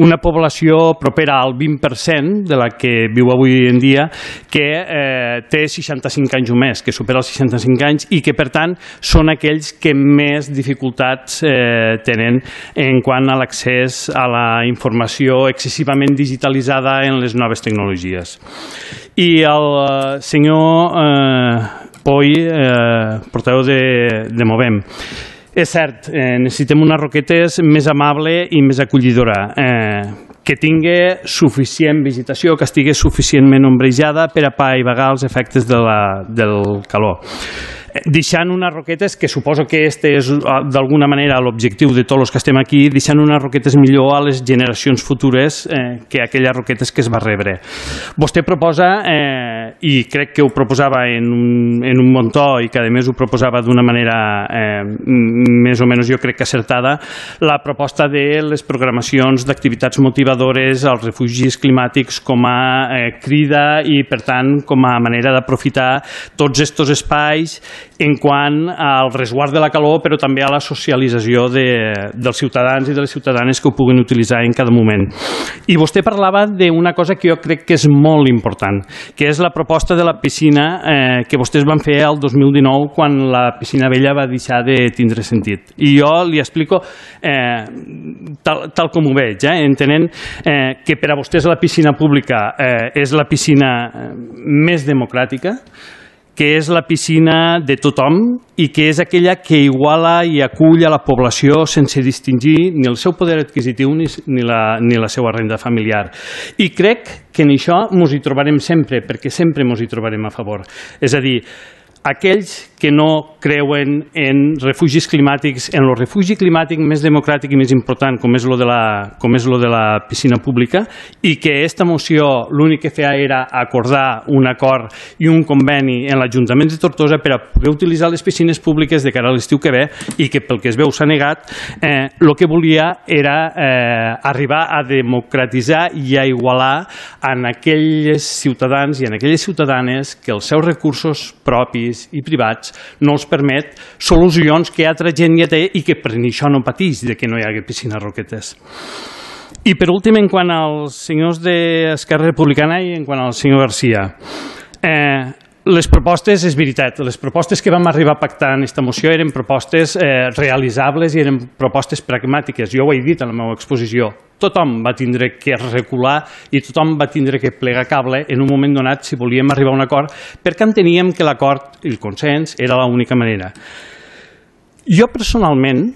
D: Una població propera al vint per cent de la que viu avui en dia que eh, té seixanta-cinc anys o més, que supera els seixanta-cinc anys i que per tant són aquells que més dificultats eh, tenen en quant a l'accés a la informació excessivament digitalitzada en les noves tecnologies. I el eh, senyor eh, Poi, eh, portaveu de, de Movem, és cert, eh, necessitem una Roquetes més amable i més acollidora, eh, que tingui suficient vegetació, que estigui suficientment ombrejada per a apaivagar els efectes de la, del calor. Deixant unes Roquetes, que suposo que este és d'alguna manera l'objectiu de tots els que estem aquí, deixant unes Roquetes millor a les generacions futures eh, que aquelles Roquetes que es va rebre. Vostè proposa, eh, i crec que ho proposava en un, en un bon to i que a més ho proposava d'una manera eh, més o menys jo crec que acertada, la proposta de les programacions d'activitats motivadores als refugis climàtics com a eh, crida i per tant com a manera d'aprofitar tots aquests espais en quant al resguard de la calor, però també a la socialització de, dels ciutadans i de les ciutadanes que ho puguin utilitzar en cada moment. I vostè parlava d'una cosa que jo crec que és molt important, que és la proposta de la piscina eh, que vostès van fer el dos mil dinou quan la piscina vella va deixar de tindre sentit. I jo li explico eh, tal, tal com ho veig, eh, entenent eh, que per a vostès la piscina pública eh, és la piscina més democràtica, que és la piscina de tothom i que és aquella que iguala i acull a la població sense distingir ni el seu poder adquisitiu ni, ni, la, ni la seva renda familiar. I crec que en això ens hi trobarem sempre, perquè sempre ens hi trobarem a favor. És a dir, aquells que no creuen en refugis climàtics, en el refugi climàtic més democràtic i més important, com és lo de la, com és lo de la piscina pública, i que aquesta moció l'únic que feia era acordar un acord i un conveni en l'Ajuntament de Tortosa per a poder utilitzar les piscines públiques de cara a l'estiu que ve i que pel que es veu s'ha negat, eh, el que volia era eh, arribar a democratitzar i a igualar en aquells ciutadans i en aquelles ciutadanes que els seus recursos propis i privats no els permet solucions que altra gent ja té i que per això no pateix de que no hi hagi piscines Roquetes. I per últim, en quant als senyors d'Esquerra Republicana i en quant al senyor Garcia, eh, les propostes, és veritat, les propostes que vam arribar a pactar en aquesta moció eren propostes eh, realitzables i eren propostes pragmàtiques. Jo ho he dit en la meva exposició. Tothom va tindre que recular i tothom va tindre que plegar cable en un moment donat si volíem arribar a un acord, perquè enteníem que l'acord i el consens era l'única manera. Jo personalment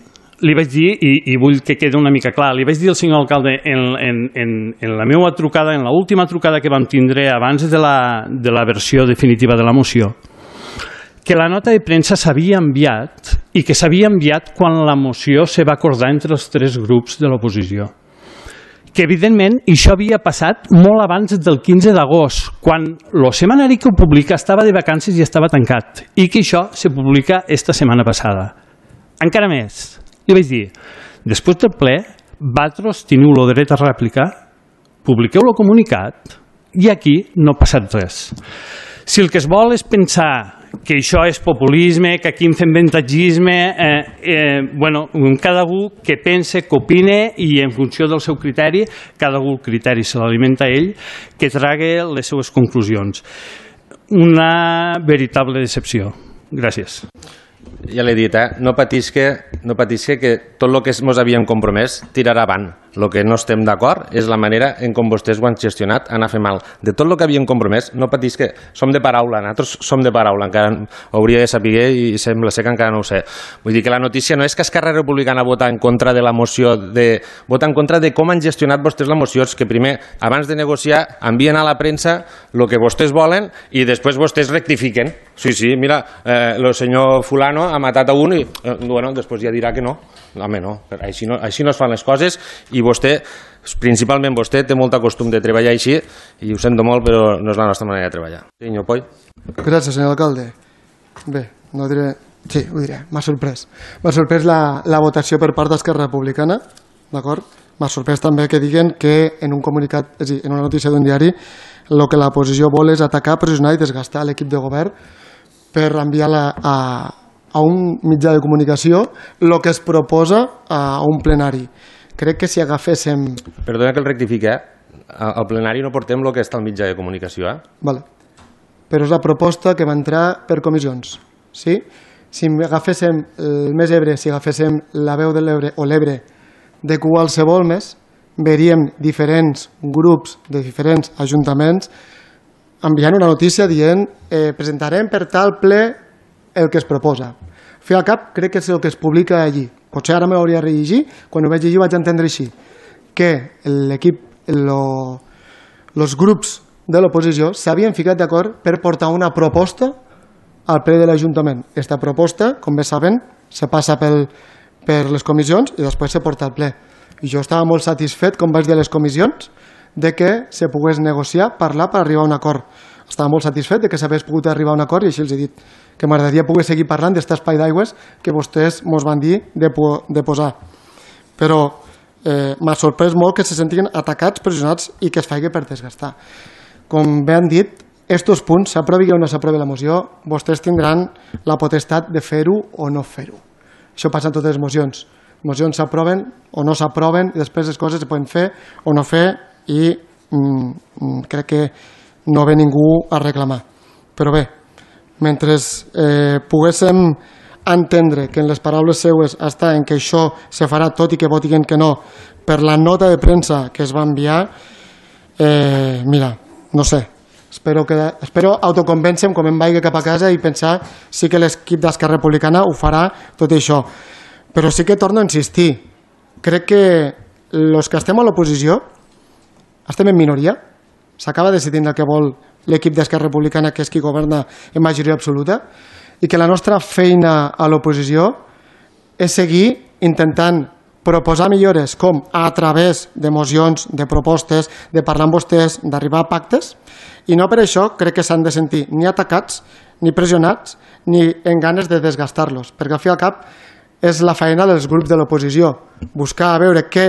D: li vaig dir, i, i vull que quedi una mica clar, li vaig dir al senyor alcalde en, en, en, en la meva trucada, en l'última trucada que vam tindre abans de la, de la versió definitiva de la moció, que la nota de premsa s'havia enviat i que s'havia enviat quan la moció se va acordar entre els tres grups de l'oposició. Que evidentment això havia passat molt abans del quinze d'agost, quan el setmanari que ho publica estava de vacances i estava tancat, i que això se publica esta setmana passada. Encara més, li vaig dir, després del ple, vosaltres teniu el dret a replicar, publiqueu el comunicat i aquí no ha passat res. Si el que es vol és pensar que això és populisme, que aquí en fem ventatgisme, eh, eh, bueno, cada un que pense, que opine i en funció del seu criteri, cada un el criteri se l'alimenta ell, que trague les seues conclusions. Una veritable decepció. Gràcies.
A: Ja l'he dit, eh? no patisca, no patisca que tot el que ens havíem compromès tirarà avant. El que no estem d'acord és la manera en com vostès ho han gestionat, anar a fer mal. De tot el que havíem compromès, no patisca, som de paraula, nosaltres som de paraula, encara ho hauria de saber i sembla ser que encara no ho sé. Vull dir que la notícia no és que Esquerra Republicana vota en contra de la moció, de, vota en contra de com han gestionat vostès la moció, és que primer, abans de negociar, envien a la premsa el que vostès volen i després vostès rectifiquen. Sí, sí, mira, eh, el senyor fulano ha matat a un i, eh, bueno, després ja dirà que no. Home, no, així no, així no es fan les coses i vostè, principalment vostè, té molt costum de treballar així i ho sento molt, però no és la nostra manera de treballar. Senyor Poi.
C: Gràcies, senyor alcalde. Bé, no diré... Sí, ho diré, m'ha sorprès. M'ha sorprès la, la votació per part d'Esquerra Republicana, d'acord? M'ha sorprès també que diguen que en un comunicat, és a dir, en una notícia d'un diari, el que la posició vol és atacar, pressionar i desgastar l'equip de govern per enviar-la a a un mitjà de comunicació el que es proposa a un plenari. Crec que si agaféssim...
A: Perdona que el rectifique, eh? Al plenari no portem el que està al mitjà de comunicació, eh?
C: Vale. Però és la proposta que va entrar per comissions. Sí? Si agaféssim el Més Ebre, si agaféssim la Veu de l'Ebre o l'Ebre de qualsevol més, veuríem diferents grups de diferents ajuntaments enviant una notícia dient eh, presentarem per tal ple el que es proposa. Fer al cap crec que és el que es publica allí. Potser ara me l'hauria de rellegir, quan ho vaig llegir vaig entendre així, que l'equip, els grups de l'oposició s'havien ficat d'acord per portar una proposta al ple de l'Ajuntament. Aquesta proposta, com bé saben, se passa pel, per les comissions i després se porta al ple. I jo estava molt satisfet, com vaig dir a les comissions, de que se pogués negociar, parlar per arribar a un acord. Estava molt satisfet de que s'hagués pogut arribar a un acord i així els he dit que m'agradaria poder seguir parlant d'aquest espai d'aigües que vostès ens van dir de, po de posar. Però eh, m'ha sorprès molt que se sentien atacats, pressionats i que es faci per desgastar. Com bé han dit, estos punts, s'aprovi o no s'aprovi la moció, vostès tindran la potestat de fer-ho o no fer-ho. Això passa en totes les mocions. Mocions s'aproven o no s'aproven i després les coses se poden fer o no fer i mm, crec que no ve ningú a reclamar. Però bé, mentre eh, poguéssim entendre que en les paraules seues està en que això se farà tot i que votin que no per la nota de premsa que es va enviar, eh, mira, no sé, espero, que, espero autoconvèncer-me quan em vagi cap a casa i pensar sí que l'equip d'Esquerra Republicana ho farà tot això. Però sí que torno a insistir, crec que els que estem a l'oposició estem en minoria, s'acaba decidint el que vol l'equip d'Esquerra Republicana, que és qui governa en majoria absoluta, i que la nostra feina a l'oposició és seguir intentant proposar millores com a través de mocions, de propostes, de parlar amb vostès, d'arribar a pactes, i no per això crec que s'han de sentir ni atacats, ni pressionats, ni en ganes de desgastar-los, perquè al fi i al cap és la feina dels grups de l'oposició, buscar a veure què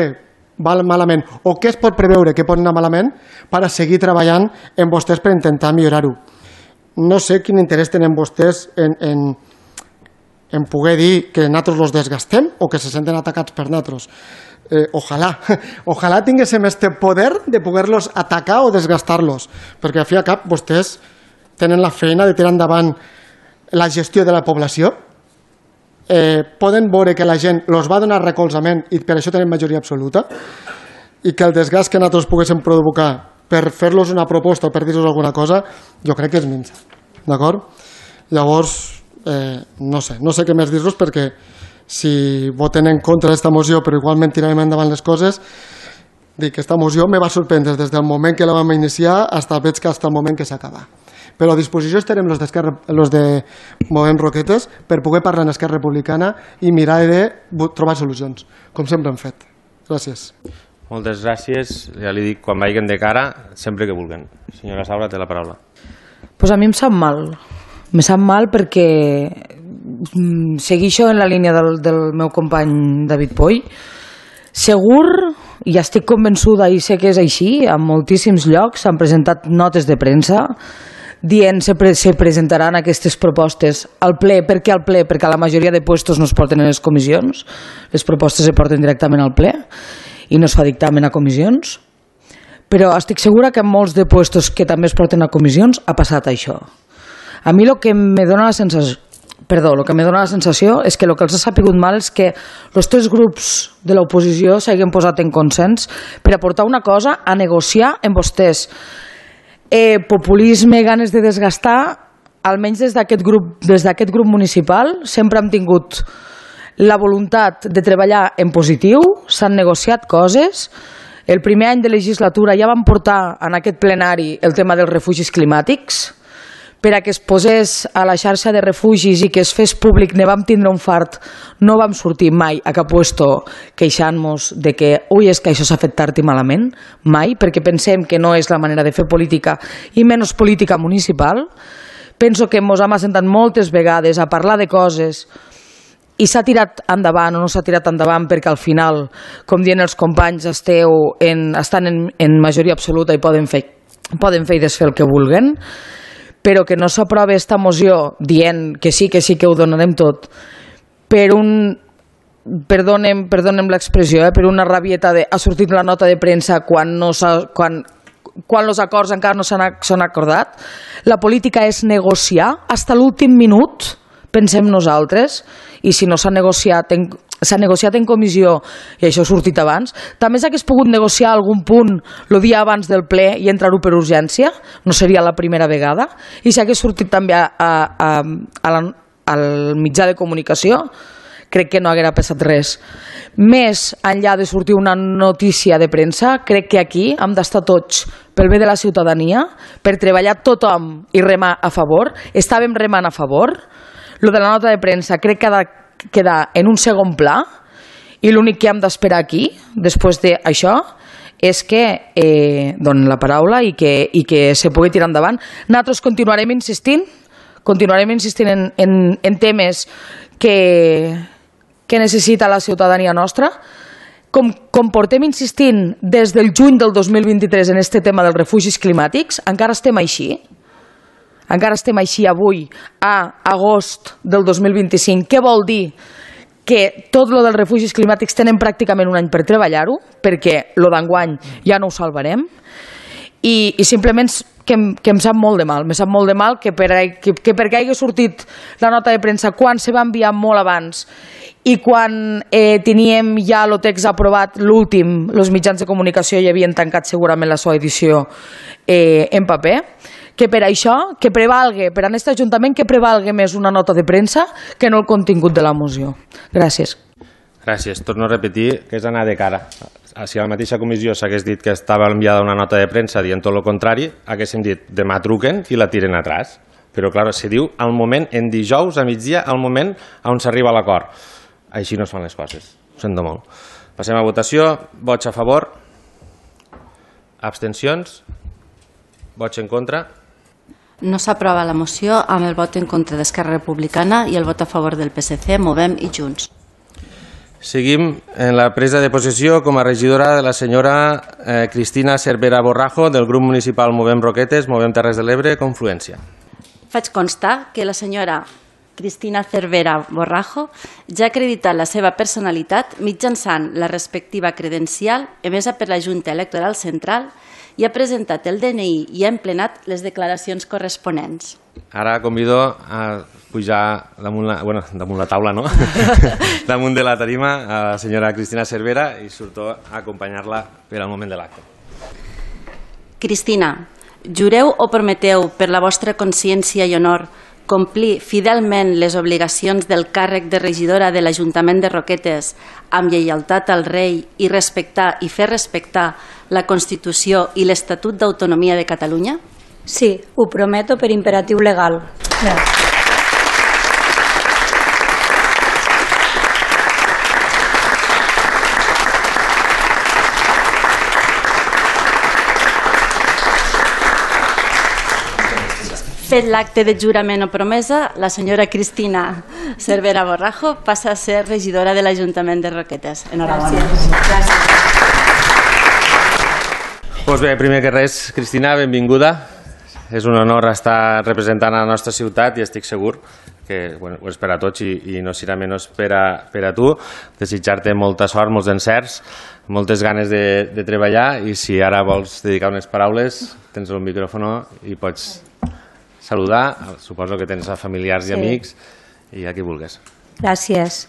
C: va malament o què es pot preveure que pot anar malament per a seguir treballant en vostès per intentar millorar-ho. No sé quin interès tenen vostès en, en, en poder dir que nosaltres els desgastem o que se senten atacats per nosaltres. Eh, ojalà, ojalà tinguéssim este poder de poder-los atacar o desgastar-los, perquè al fi i al cap vostès tenen la feina de tirar endavant la gestió de la població. Eh, poden veure que la gent els va donar recolzament i per això tenen majoria absoluta i que el desgast que nosaltres poguéssim provocar per fer-los una proposta o per dir-los alguna cosa, jo crec que és minsa, d'acord? Llavors, eh, no sé, no sé què més dir-los perquè si voten en contra d'esta moció però igualment tirarem endavant les coses, dic que aquesta moció me va sorprendre des del moment que la vam iniciar fins veig que fins el moment que s'acaba. Però a disposició estarem els de Movem Roquetes per poder parlar en Esquerra Republicana i mirar de trobar solucions, com sempre hem fet. Gràcies.
A: Moltes gràcies. Ja li dic, quan vagin de cara, sempre que vulguen. Senyora Saura, té la paraula.
E: Pues a mi em sap mal. Me sap mal perquè segueixo en la línia del, del meu company David Poy. Segur, i estic convençuda i sé que és així, en moltíssims llocs s'han presentat notes de premsa dient se, pre se presentaran aquestes propostes al ple. Per què al ple? Perquè la majoria de puestos no es porten en les comissions, les propostes se porten directament al ple i no es fa dictamen a comissions, però estic segura que en molts de puestos que també es porten a comissions ha passat això. A mi el que me dona la sensació Perdó, el que me dona la sensació és que el que els ha sapigut mal és que els tres grups de l'oposició s'hagin posat en consens per aportar una cosa a negociar amb vostès. Eh, populisme, ganes de desgastar, almenys des d'aquest grup, des d'aquest grup municipal sempre hem tingut la voluntat de treballar en positiu, s'han negociat coses. El primer any de legislatura ja vam portar en aquest plenari el tema dels refugis climàtics, per a que es posés a la xarxa de refugis i que es fes públic, ne vam tindre un fart, no vam sortir mai a cap puesto queixant-nos de que ui, és que això s'ha fet tard i malament, mai, perquè pensem que no és la manera de fer política i menys política municipal. Penso que ens hem assentat moltes vegades a parlar de coses i s'ha tirat endavant o no s'ha tirat endavant perquè al final, com diuen els companys, esteu en, estan en, en majoria absoluta i poden fer, poden fer i desfer el que vulguen, però que no s'aprova aquesta moció dient que sí, que sí, que ho donarem tot, per un, perdonem, perdonem l'expressió, eh, per una rabieta de ha sortit la nota de premsa quan, no quan, quan els acords encara no s'han acordat. La política és negociar fins a l'últim minut, pensem nosaltres, i si no s'ha negociat en s'ha negociat en comissió i això ha sortit abans, també s'hagués pogut negociar algun punt el dia abans del ple i entrar-ho per urgència, no seria la primera vegada, i s'hagués sortit també a, a, a la, al mitjà de comunicació, crec que no haguera passat res. Més enllà de sortir una notícia de premsa, crec que aquí hem d'estar tots pel bé de la ciutadania, per treballar tothom i remar a favor. Estàvem remant a favor. Lo de la nota de premsa crec que ha de quedar en un segon pla i l'únic que hem d'esperar aquí, després d'això, és que eh, donen la paraula i que, i que se pugui tirar endavant. Nosaltres continuarem insistint, continuarem insistint en, en, en temes que, que necessita la ciutadania nostra, com, com portem insistint des del juny del dos mil vint-i-tres en aquest tema dels refugis climàtics, encara estem així. encara estem així avui, a agost del dos mil vint-i-cinc. Què vol dir? Que tot lo dels refugis climàtics tenen pràcticament un any per treballar-ho, perquè lo d'enguany ja no ho salvarem, i, i simplement que em, que em sap molt de mal, me sap molt de mal que, per, que, que perquè hagi sortit la nota de premsa quan se va enviar molt abans i quan eh, teníem ja el text aprovat, l'últim, els mitjans de comunicació ja havien tancat segurament la seva edició eh, en paper, que per això, que prevalgue, per a aquest Ajuntament, que prevalgue més una nota de premsa que no el contingut de la moció. Gràcies.
A: Gràcies. Torno a repetir que és anar de cara. Si a la mateixa comissió s'hagués dit que estava enviada una nota de premsa dient tot el contrari, haguéssim dit demà truquen i la tiren atrás. Però, clar, se diu al moment, en dijous a migdia, al moment on s'arriba a l'acord. Així no es fan les coses. Ho sento molt. Passem a votació. Vots a favor? Abstencions? Vots en contra?
B: No s'aprova la moció amb el vot en contra d'Esquerra Republicana i el vot a favor del P S C, Movem i Junts.
A: Seguim en la presa de possessió com a regidora de la senyora eh, Cristina Cervera Borrajo del grup municipal Movem Roquetes, Movem Terres de l'Ebre, Confluència.
B: Faig constar que la senyora Cristina Cervera Borrajo ja ha acreditat la seva personalitat mitjançant la respectiva credencial emesa per la Junta Electoral Central i ha presentat el D N I i ha emplenat les declaracions corresponents.
A: Ara convido a pujar damunt la, bueno, damunt la taula, no? damunt de la tarima a la senyora Cristina Cervera i surto a acompanyar-la per al moment de l'acte.
B: Cristina, jureu o prometeu per la vostra consciència i honor complir fidelment les obligacions del càrrec de regidora de l'Ajuntament de Roquetes amb lleialtat al rei i respectar i fer respectar la Constitució i l'Estatut d'Autonomia de Catalunya?
F: Sí, ho prometo per imperatiu legal. Gràcies.
B: Fet l'acte de jurament o promesa, la senyora Cristina Cervera Borrajo passa a ser regidora de l'Ajuntament de Roquetes. Enhorabona. Gràcies.
A: Pues bé, primer que res, Cristina, benvinguda. És un honor estar representant a la nostra ciutat i estic segur que bueno, ho és per a tots i, i no serà menys per a, per a tu. Desitjar-te molta sort, molts encerts, moltes ganes de, de treballar i si ara vols dedicar unes paraules, tens el micròfon i pots saludar, suposo que tens a familiars i
F: Sí.
A: amics i a qui vulguis.
F: Gràcies.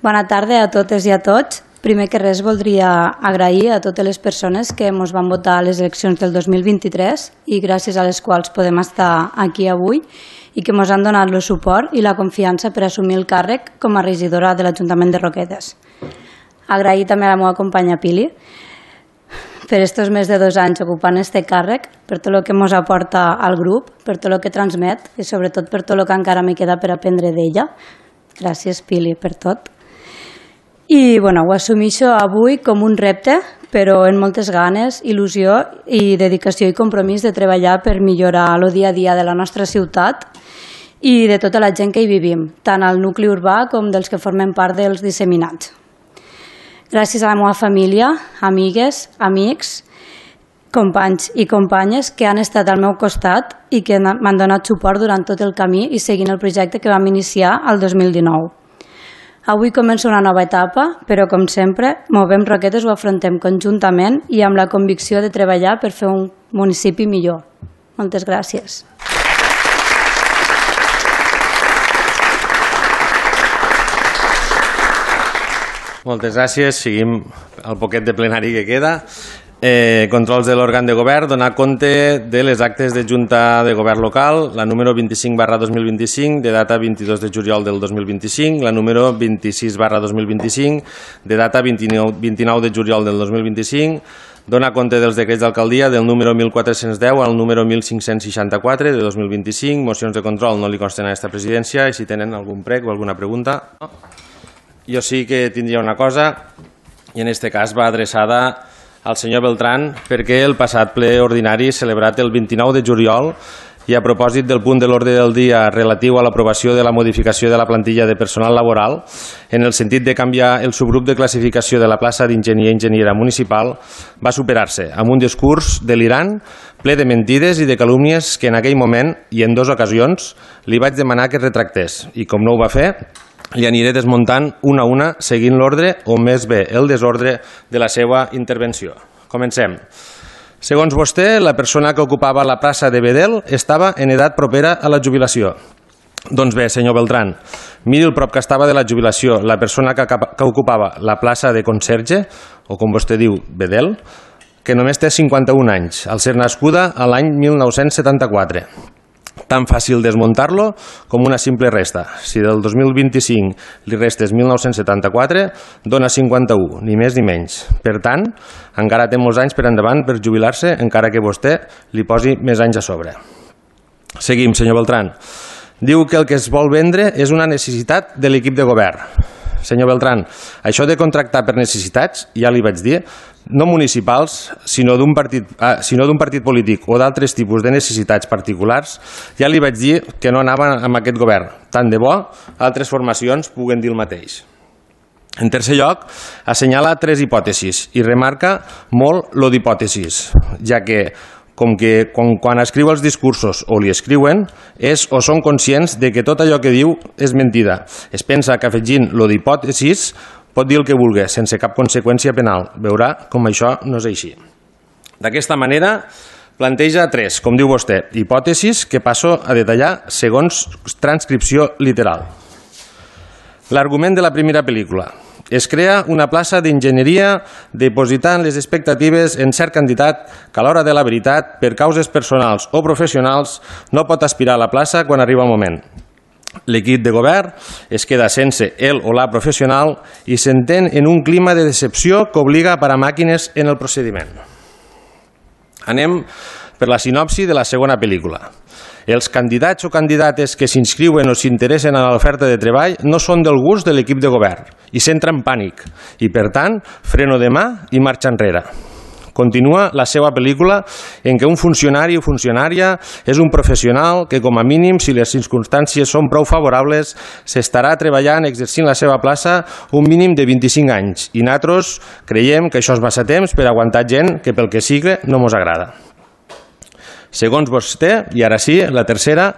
F: Bona tarda a totes i a tots. Primer que res voldria agrair a totes les persones que ens van votar a les eleccions del dos mil vint-i-tres i gràcies a les quals podem estar aquí avui i que ens han donat el suport i la confiança per assumir el càrrec com a regidora de l'Ajuntament de Roquetes. Agrair també a la meva companya Pili per estos més de dos anys ocupant este càrrec, per tot el que ens aporta al grup, per tot el que transmet i sobretot per tot el que encara me queda per aprendre d'ella. Gràcies, Pili, per tot. I bueno, ho assumeixo avui com un repte, però amb moltes ganes, il·lusió i dedicació i compromís de treballar per millorar el dia a dia de la nostra ciutat i de tota la gent que hi vivim, tant al nucli urbà com dels que formen part dels disseminats. Gràcies a la meva família, amigues, amics, companys i companyes que han estat al meu costat i que m'han donat suport durant tot el camí i seguint el projecte que vam iniciar el dos mil dinou. Avui comença una nova etapa, però com sempre, Movem Roquetes ho afrontem conjuntament i amb la convicció de treballar per fer un municipi millor. Moltes gràcies.
A: Moltes gràcies. Seguim el poquet de plenari que queda. Eh, controls de l'òrgan de govern, donar compte de les actes de Junta de Govern Local, la número vint-i-cinc barra dos mil vint-i-cinc, de data vint-i-dos de juliol del dos mil vint-i-cinc, la número vint-i-sis barra dos mil vint-i-cinc, de data vint-i-nou, vint-i-nou de juliol del dos mil vint-i-cinc, donar compte dels decrets d'alcaldia del número mil quatre-cents deu al número mil cinc-cents seixanta-quatre de dos mil vint-i-cinc, mocions de control no li consten a aquesta presidència i si tenen algun prec o alguna pregunta. Jo sí que tindria una cosa i en aquest cas va adreçada al senyor Beltrán perquè el passat ple ordinari celebrat el vint-i-nou de juliol i a propòsit del punt de l'ordre del dia relatiu a l'aprovació de la modificació de la plantilla de personal laboral, en el sentit de canviar el subgrup de classificació de la plaça d'enginyer i enginyera municipal, va superar-se amb un discurs delirant, ple de mentides i de calúmnies que en aquell moment i en dues ocasions li vaig demanar que es retractés i com no ho va fer, li aniré desmuntant una a una seguint l'ordre o més bé el desordre de la seva intervenció. Comencem. Segons vostè, la persona que ocupava la plaça de Bedel estava en edat propera a la jubilació. Doncs bé, senyor Beltrán, miri el prop que estava de la jubilació la persona que, que ocupava la plaça de conserge, o com vostè diu, Bedel, que només té cinquanta-un anys, al ser nascuda a l'any mil nou-cents setanta-quatre. Tan fàcil desmuntar-lo com una simple resta. Si del dos mil vint-i-cinc li restes mil nou-cents setanta-quatre, dona cinquanta-u, ni més ni menys. Per tant, encara té molts anys per endavant per jubilar-se, encara que vostè li posi més anys a sobre. Seguim, senyor Beltrán. Diu que el que es vol vendre és una necessitat de l'equip de govern. Senyor Beltrán, això de contractar per necessitats, ja li vaig dir, no municipals, sinó d'un partit, ah, sinó d'un partit polític o d'altres tipus de necessitats particulars, ja li vaig dir que no anava amb aquest govern. Tant de bo, altres formacions puguen dir el mateix. En tercer lloc, assenyala tres hipòtesis i remarca molt lo d'hipòtesis, ja que com que quan, quan escriu els discursos o li escriuen, és o són conscients de que tot allò que diu és mentida. Es pensa que afegint lo d'hipòtesis pot dir el que vulgui, sense cap conseqüència penal. Veurà com això no és així. D'aquesta manera, planteja tres, com diu vostè, hipòtesis que passo a detallar segons transcripció literal. L'argument de la primera pel·lícula. Es crea una plaça d'enginyeria dipositant les expectatives en cert candidat que a l'hora de la veritat, per causes personals o professionals, no pot aspirar a la plaça quan arriba el moment. L'equip de govern es queda sense el o la professional i s'entén en un clima de decepció que obliga a parar màquines en el procediment. Anem per la sinopsi de la segona pel·lícula. Els candidats o candidates que s'inscriuen o s'interessen en l'oferta de treball no són del gust de l'equip de govern i s'entra en pànic i, per tant, freno de mà i marxa enrere. Continua la seva pel·lícula en què un funcionari o funcionària és un professional que, com a mínim, si les circumstàncies són prou favorables, s'estarà treballant exercint la seva plaça un mínim de vint-i-cinc anys i nosaltres creiem que això és massa temps per aguantar gent que pel que sigui no mos agrada. Segons vostè, i ara sí, la tercera,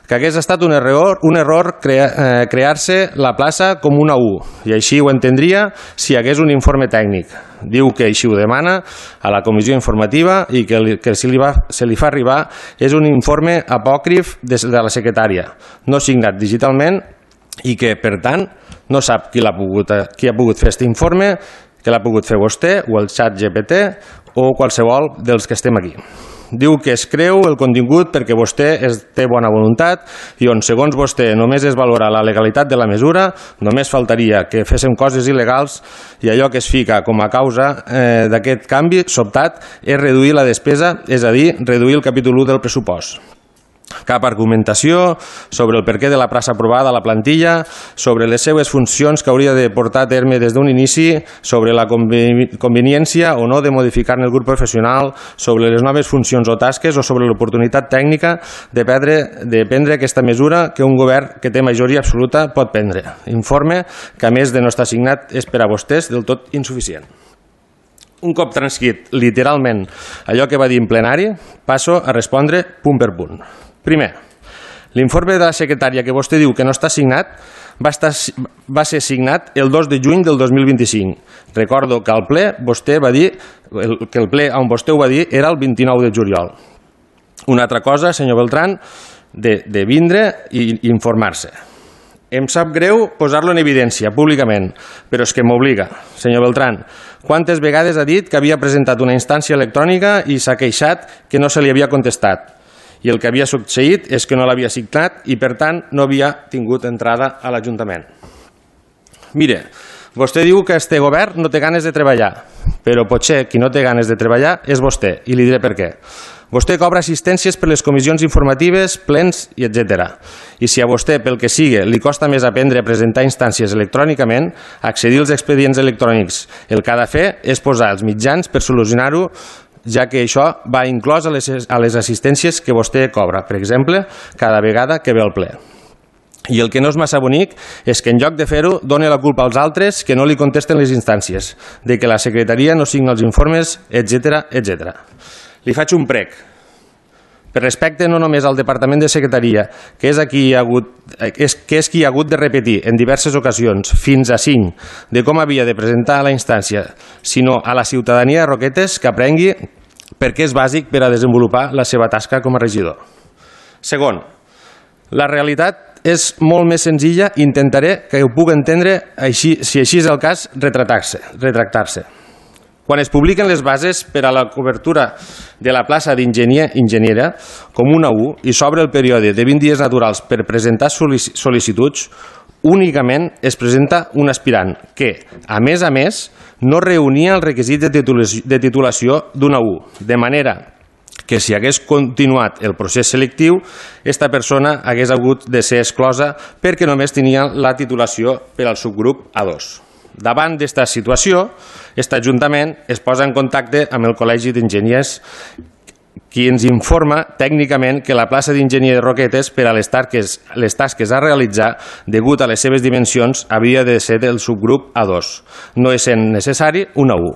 A: que hagués estat un error, un error crea, eh, crear-se la plaça com una U, i així ho entendria si hi hagués un informe tècnic. Diu que així ho demana a la comissió informativa i que, li, que si li va, se li fa arribar és un informe apòcrif de, de la secretària, no signat digitalment i que, per tant, no sap qui, l'ha pogut, qui ha pogut fer aquest informe, que l'ha pogut fer vostè o el xat G P T o qualsevol dels que estem aquí. Diu que es creu el contingut perquè vostè es té bona voluntat i on, segons vostè, només es valora la legalitat de la mesura, només faltaria que féssim coses il·legals i allò que es fica com a causa eh, d'aquest canvi sobtat és reduir la despesa, és a dir, reduir el capítol u del pressupost. Cap argumentació sobre el perquè de la plaça aprovada a la plantilla, sobre les seves funcions que hauria de portar a terme des d'un inici, sobre la conveniència o no de modificar-ne el grup professional, sobre les noves funcions o tasques o sobre l'oportunitat tècnica de prendre, de prendre aquesta mesura que un govern que té majoria absoluta pot prendre. Informe que, a més de no estar signat, és per a vostès del tot insuficient. Un cop transcrit literalment allò que va dir en plenari, passo a respondre punt per punt. Primer, l'informe de la secretària que vostè diu que no està signat va, estar, va ser signat el dos de juny del dos mil vint-i-cinc. Recordo que al ple vostè va dir que el ple on vostè ho va dir era el vint-i-nou de juliol. Una altra cosa, senyor Beltrán, de, de vindre i informar-se. Em sap greu posar-lo en evidència públicament, però és que m'obliga. Senyor Beltrán, quantes vegades ha dit que havia presentat una instància electrònica i s'ha queixat que no se li havia contestat? I el que havia succeït és que no l'havia signat i, per tant, no havia tingut entrada a l'Ajuntament. Mire, vostè diu que este govern no té ganes de treballar, però potser qui no té ganes de treballar és vostè, i li diré per què. Vostè cobra assistències per les comissions informatives, plens i etcètera. I si a vostè, pel que sigui, li costa més aprendre a presentar instàncies electrònicament, accedir als expedients electrònics, el que ha de fer és posar els mitjans per solucionar-ho ja que això va inclòs a les, a les assistències que vostè cobra, per exemple, cada vegada que ve al ple. I el que no és massa bonic és que en lloc de fer-ho doni la culpa als altres que no li contesten les instàncies, de que la secretaria no signa els informes, etcètera, etcètera. Li faig un prec. Per respecte no només al Departament de Secretaria, que és, aquí ha hagut, és, que és qui ha hagut de repetir en diverses ocasions, fins a cinc, de com havia de presentar la instància, sinó a la ciutadania de Roquetes que aprengui perquè és bàsic per a desenvolupar la seva tasca com a regidor. Segon, la realitat és molt més senzilla i intentaré que ho puc entendre, així, si així és el cas, retractar-se. retractar-se. Quan es publiquen les bases per a la cobertura de la plaça d'enginyer-enginyera com una U i s'obre el període de vint dies naturals per presentar sol·licituds, únicament es presenta un aspirant que, a més a més, no reunia el requisit de titulació, de titulació d'una U, de manera que si hagués continuat el procés selectiu, aquesta persona hagués hagut de ser exclosa perquè només tenia la titulació per al subgrup A dos. Davant d'esta situació, aquest Ajuntament es posa en contacte amb el Col·legi d'Enginyers, qui ens informa tècnicament que la plaça d'enginyer de Roquetes per a les tasques, les tasques a realitzar degut a les seves dimensions havia de ser del subgrup A dos, no essent necessari una U.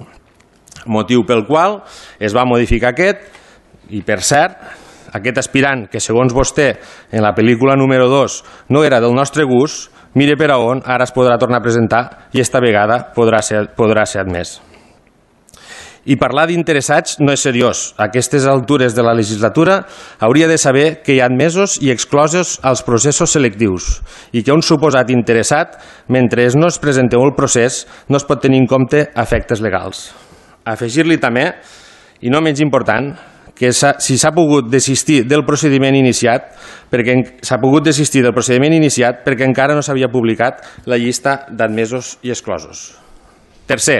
A: Motiu pel qual es va modificar aquest. I, per cert, aquest aspirant, que segons vostè en la pel·lícula número dos no era del nostre gust, mire per a on ara es podrà tornar a presentar i esta vegada podrà ser, podrà ser admès. I parlar d'interessats no és seriós. A aquestes altures de la legislatura hauria de saber que hi ha admesos i exclosos als processos selectius i que un suposat interessat, mentre no es presenteu el procés, no es pot tenir en compte efectes legals. Afegir-li també, i no menys important, que si s'ha pogut desistir del procediment iniciat, perquè s'ha pogut desistir del procediment iniciat perquè encara no s'havia publicat la llista d'admesos i exclosos. Tercer,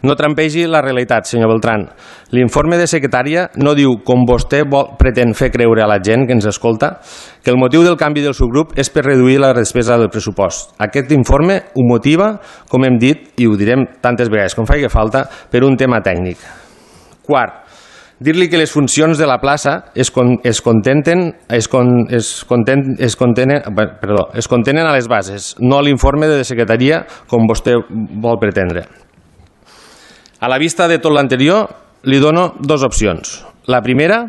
A: no trampegi la realitat, senyor Beltrán. L'informe de secretària no diu, com vostè vol, pretén fer creure a la gent que ens escolta, que el motiu del canvi del subgrup és per reduir la despesa del pressupost. Aquest informe ho motiva, com hem dit, i ho direm tantes vegades com faci falta, per un tema tècnic. Quart, dir-li que les funcions de la plaça es, con, es, contenten, es, con, es, content, es, contenen, perdó, es contenen a les bases, no a l'informe de secretaria com vostè vol pretendre. A la vista de tot l'anterior, li dono dues opcions. La primera,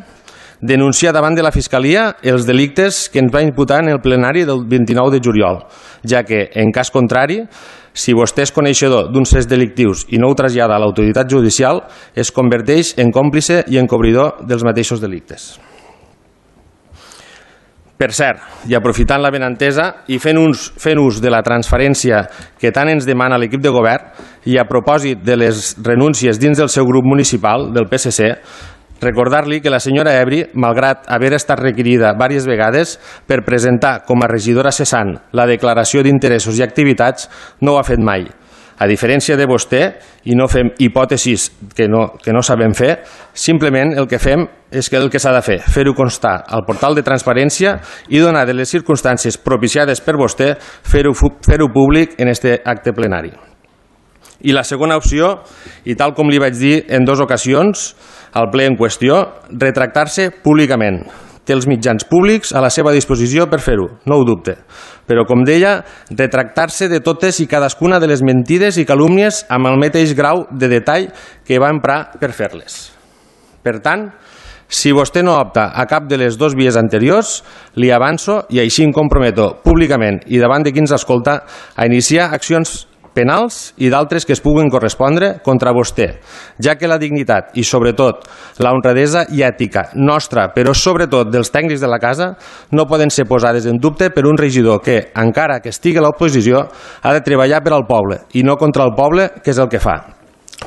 A: denunciar davant de la Fiscalia els delictes que ens va imputar en el plenari del vint-i-nou de juliol, ja que, en cas contrari, si vostè és coneixedor d'uns fets delictius i no ho trasllada a l'autoritat judicial, es converteix en còmplice i encobridor dels mateixos delictes. Per cert, i aprofitant la benentesa i fent, uns, fent ús de la transferència que tant ens demana l'equip de govern i a propòsit de les renúncies dins del seu grup municipal, del P S C, recordar-li que la senyora Ebri, malgrat haver estat requerida diverses vegades per presentar com a regidora cessant la declaració d'interessos i activitats, no ho ha fet mai. A diferència de vostè, i no fem hipòtesis que no, que no sabem fer, simplement el que fem és que el que s'ha de fer, fer-ho constar al portal de transparència i donar de les circumstàncies propiciades per vostè, fer-ho fer-ho públic en este acte plenari. I la segona opció, i tal com li vaig dir en dues ocasions, al ple en qüestió, retractar-se públicament. Té els mitjans públics a la seva disposició per fer-ho, no ho dubte. Però, com deia, retractar-se de totes i cadascuna de les mentides i calúmnies amb el mateix grau de detall que va emprar per fer-les. Per tant, si vostè no opta a cap de les dues vies anteriors, li avanço i així em comprometo públicament i davant de qui ens escolta a iniciar accions penals i d'altres que es puguen correspondre contra vostè, ja que la dignitat i, sobretot, la honradesa i ètica nostra, però sobretot dels tècnics de la casa, no poden ser posades en dubte per un regidor que, encara que estigui a l'oposició, ha de treballar per al poble i no contra el poble, que és el que fa,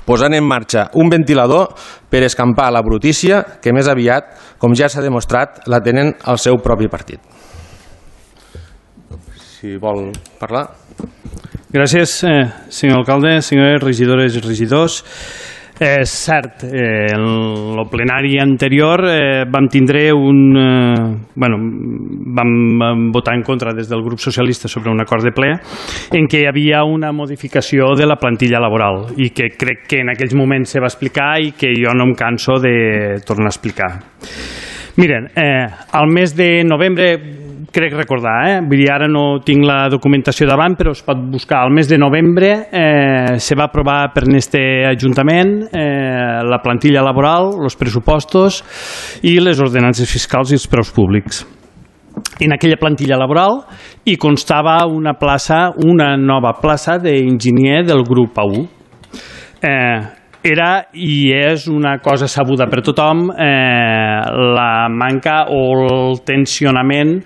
A: posant en marxa un ventilador per escampar la brutícia que més aviat, com ja s'ha demostrat, la tenen al seu propi partit. Si vol parlar...
D: Gràcies, eh, senyor alcalde, senyores regidores i regidors. És cert, eh, en el plenari anterior eh, vam tindre un... Eh, bueno, vam, vam votar en contra des del grup socialista sobre un acord de ple en què hi havia una modificació de la plantilla laboral i que crec que en aquells moments se va explicar i que jo no em canso de tornar a explicar. Miren, eh, al mes de novembre, crec recordar, eh? Vull dir, ara no tinc la documentació davant, però es pot buscar. Al mes de novembre eh, se va aprovar per este Ajuntament eh, la plantilla laboral, els pressupostos i les ordenances fiscals i els preus públics. En aquella plantilla laboral hi constava una plaça, una nova plaça d'enginyer del grup A U. Eh, Era i és una cosa sabuda per tothom eh, la manca o el tensionament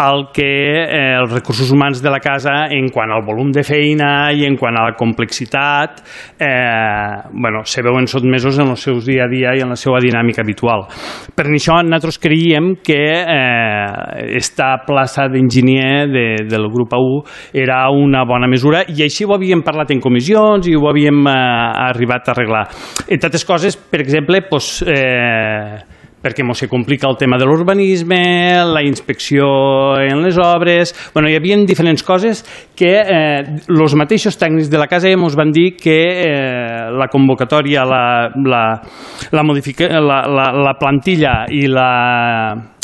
D: al que eh, els recursos humans de la casa en quant al volum de feina i en quant a la complexitat eh, bueno, se veuen sotmesos en els seus dia a dia i en la seva dinàmica habitual. Per això nosaltres creiem que eh, esta plaça d'enginyer de, del grup A U era una bona mesura i així ho havíem parlat en comissions i ho havíem eh, arribat a arreglar. Entre altres coses, per exemple, doncs, eh, perquè ens se complica el tema de l'urbanisme, la inspecció en les obres... Bueno, hi havia diferents coses que eh, els mateixos tècnics de la casa ens van dir que eh, la convocatòria, la, la, la, modifica, la, la, la plantilla i la...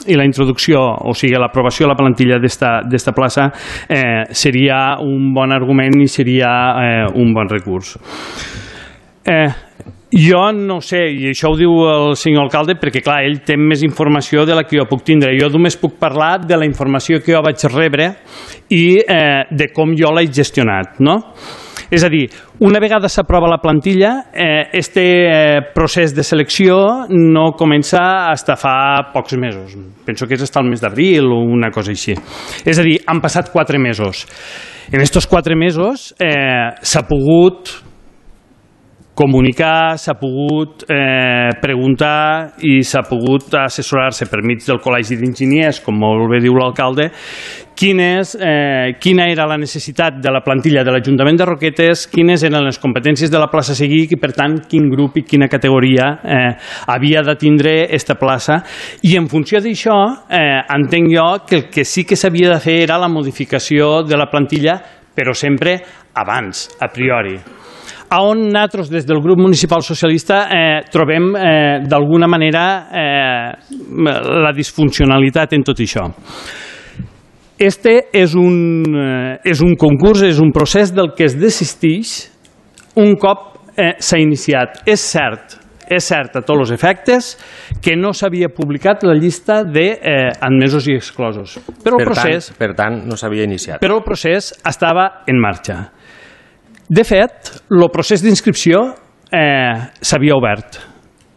D: i la introducció, o sigui, l'aprovació de la plantilla d'esta plaça eh, seria un bon argument i seria eh, un bon recurs. Eh, jo no sé, i això ho diu el senyor alcalde perquè clar, ell té més informació de la que jo puc tindre. Jo només puc parlar de la informació que jo vaig rebre i eh, de com jo l'he gestionat, no? És a dir, una vegada s'aprova la plantilla, eh, este eh, procés de selecció no comença fins fa pocs mesos. Penso que és fins al mes d'abril o una cosa així. És a dir, han passat quatre mesos. En aquests quatre mesos eh, s'ha pogut comunicar, s'ha pogut eh, preguntar i s'ha pogut assessorar-se per mig del Col·legi d'Enginyers, com molt bé diu l'alcalde, quin és, eh, quina era la necessitat de la plantilla de l'Ajuntament de Roquetes, quines eren les competències de la plaça a seguir i, per tant, quin grup i quina categoria eh, havia de tindre aquesta plaça. I en funció d'això, eh, entenc jo que el que sí que s'havia de fer era la modificació de la plantilla, però sempre abans, a priori. On nosaltres, des del grup municipal socialista, eh, trobem eh, d'alguna manera eh, la disfuncionalitat en tot això. Este és un, eh, és un concurs, és un procés del que es desisteix un cop eh, s'ha iniciat. És cert, és cert a tots els efectes que no s'havia publicat la llista d'admesos eh, i exclosos. Però el
A: per,
D: procés,
A: tant, per tant, no s'havia iniciat.
D: Però el procés estava en marxa. De fet, el procés d'inscripció eh, s'havia obert.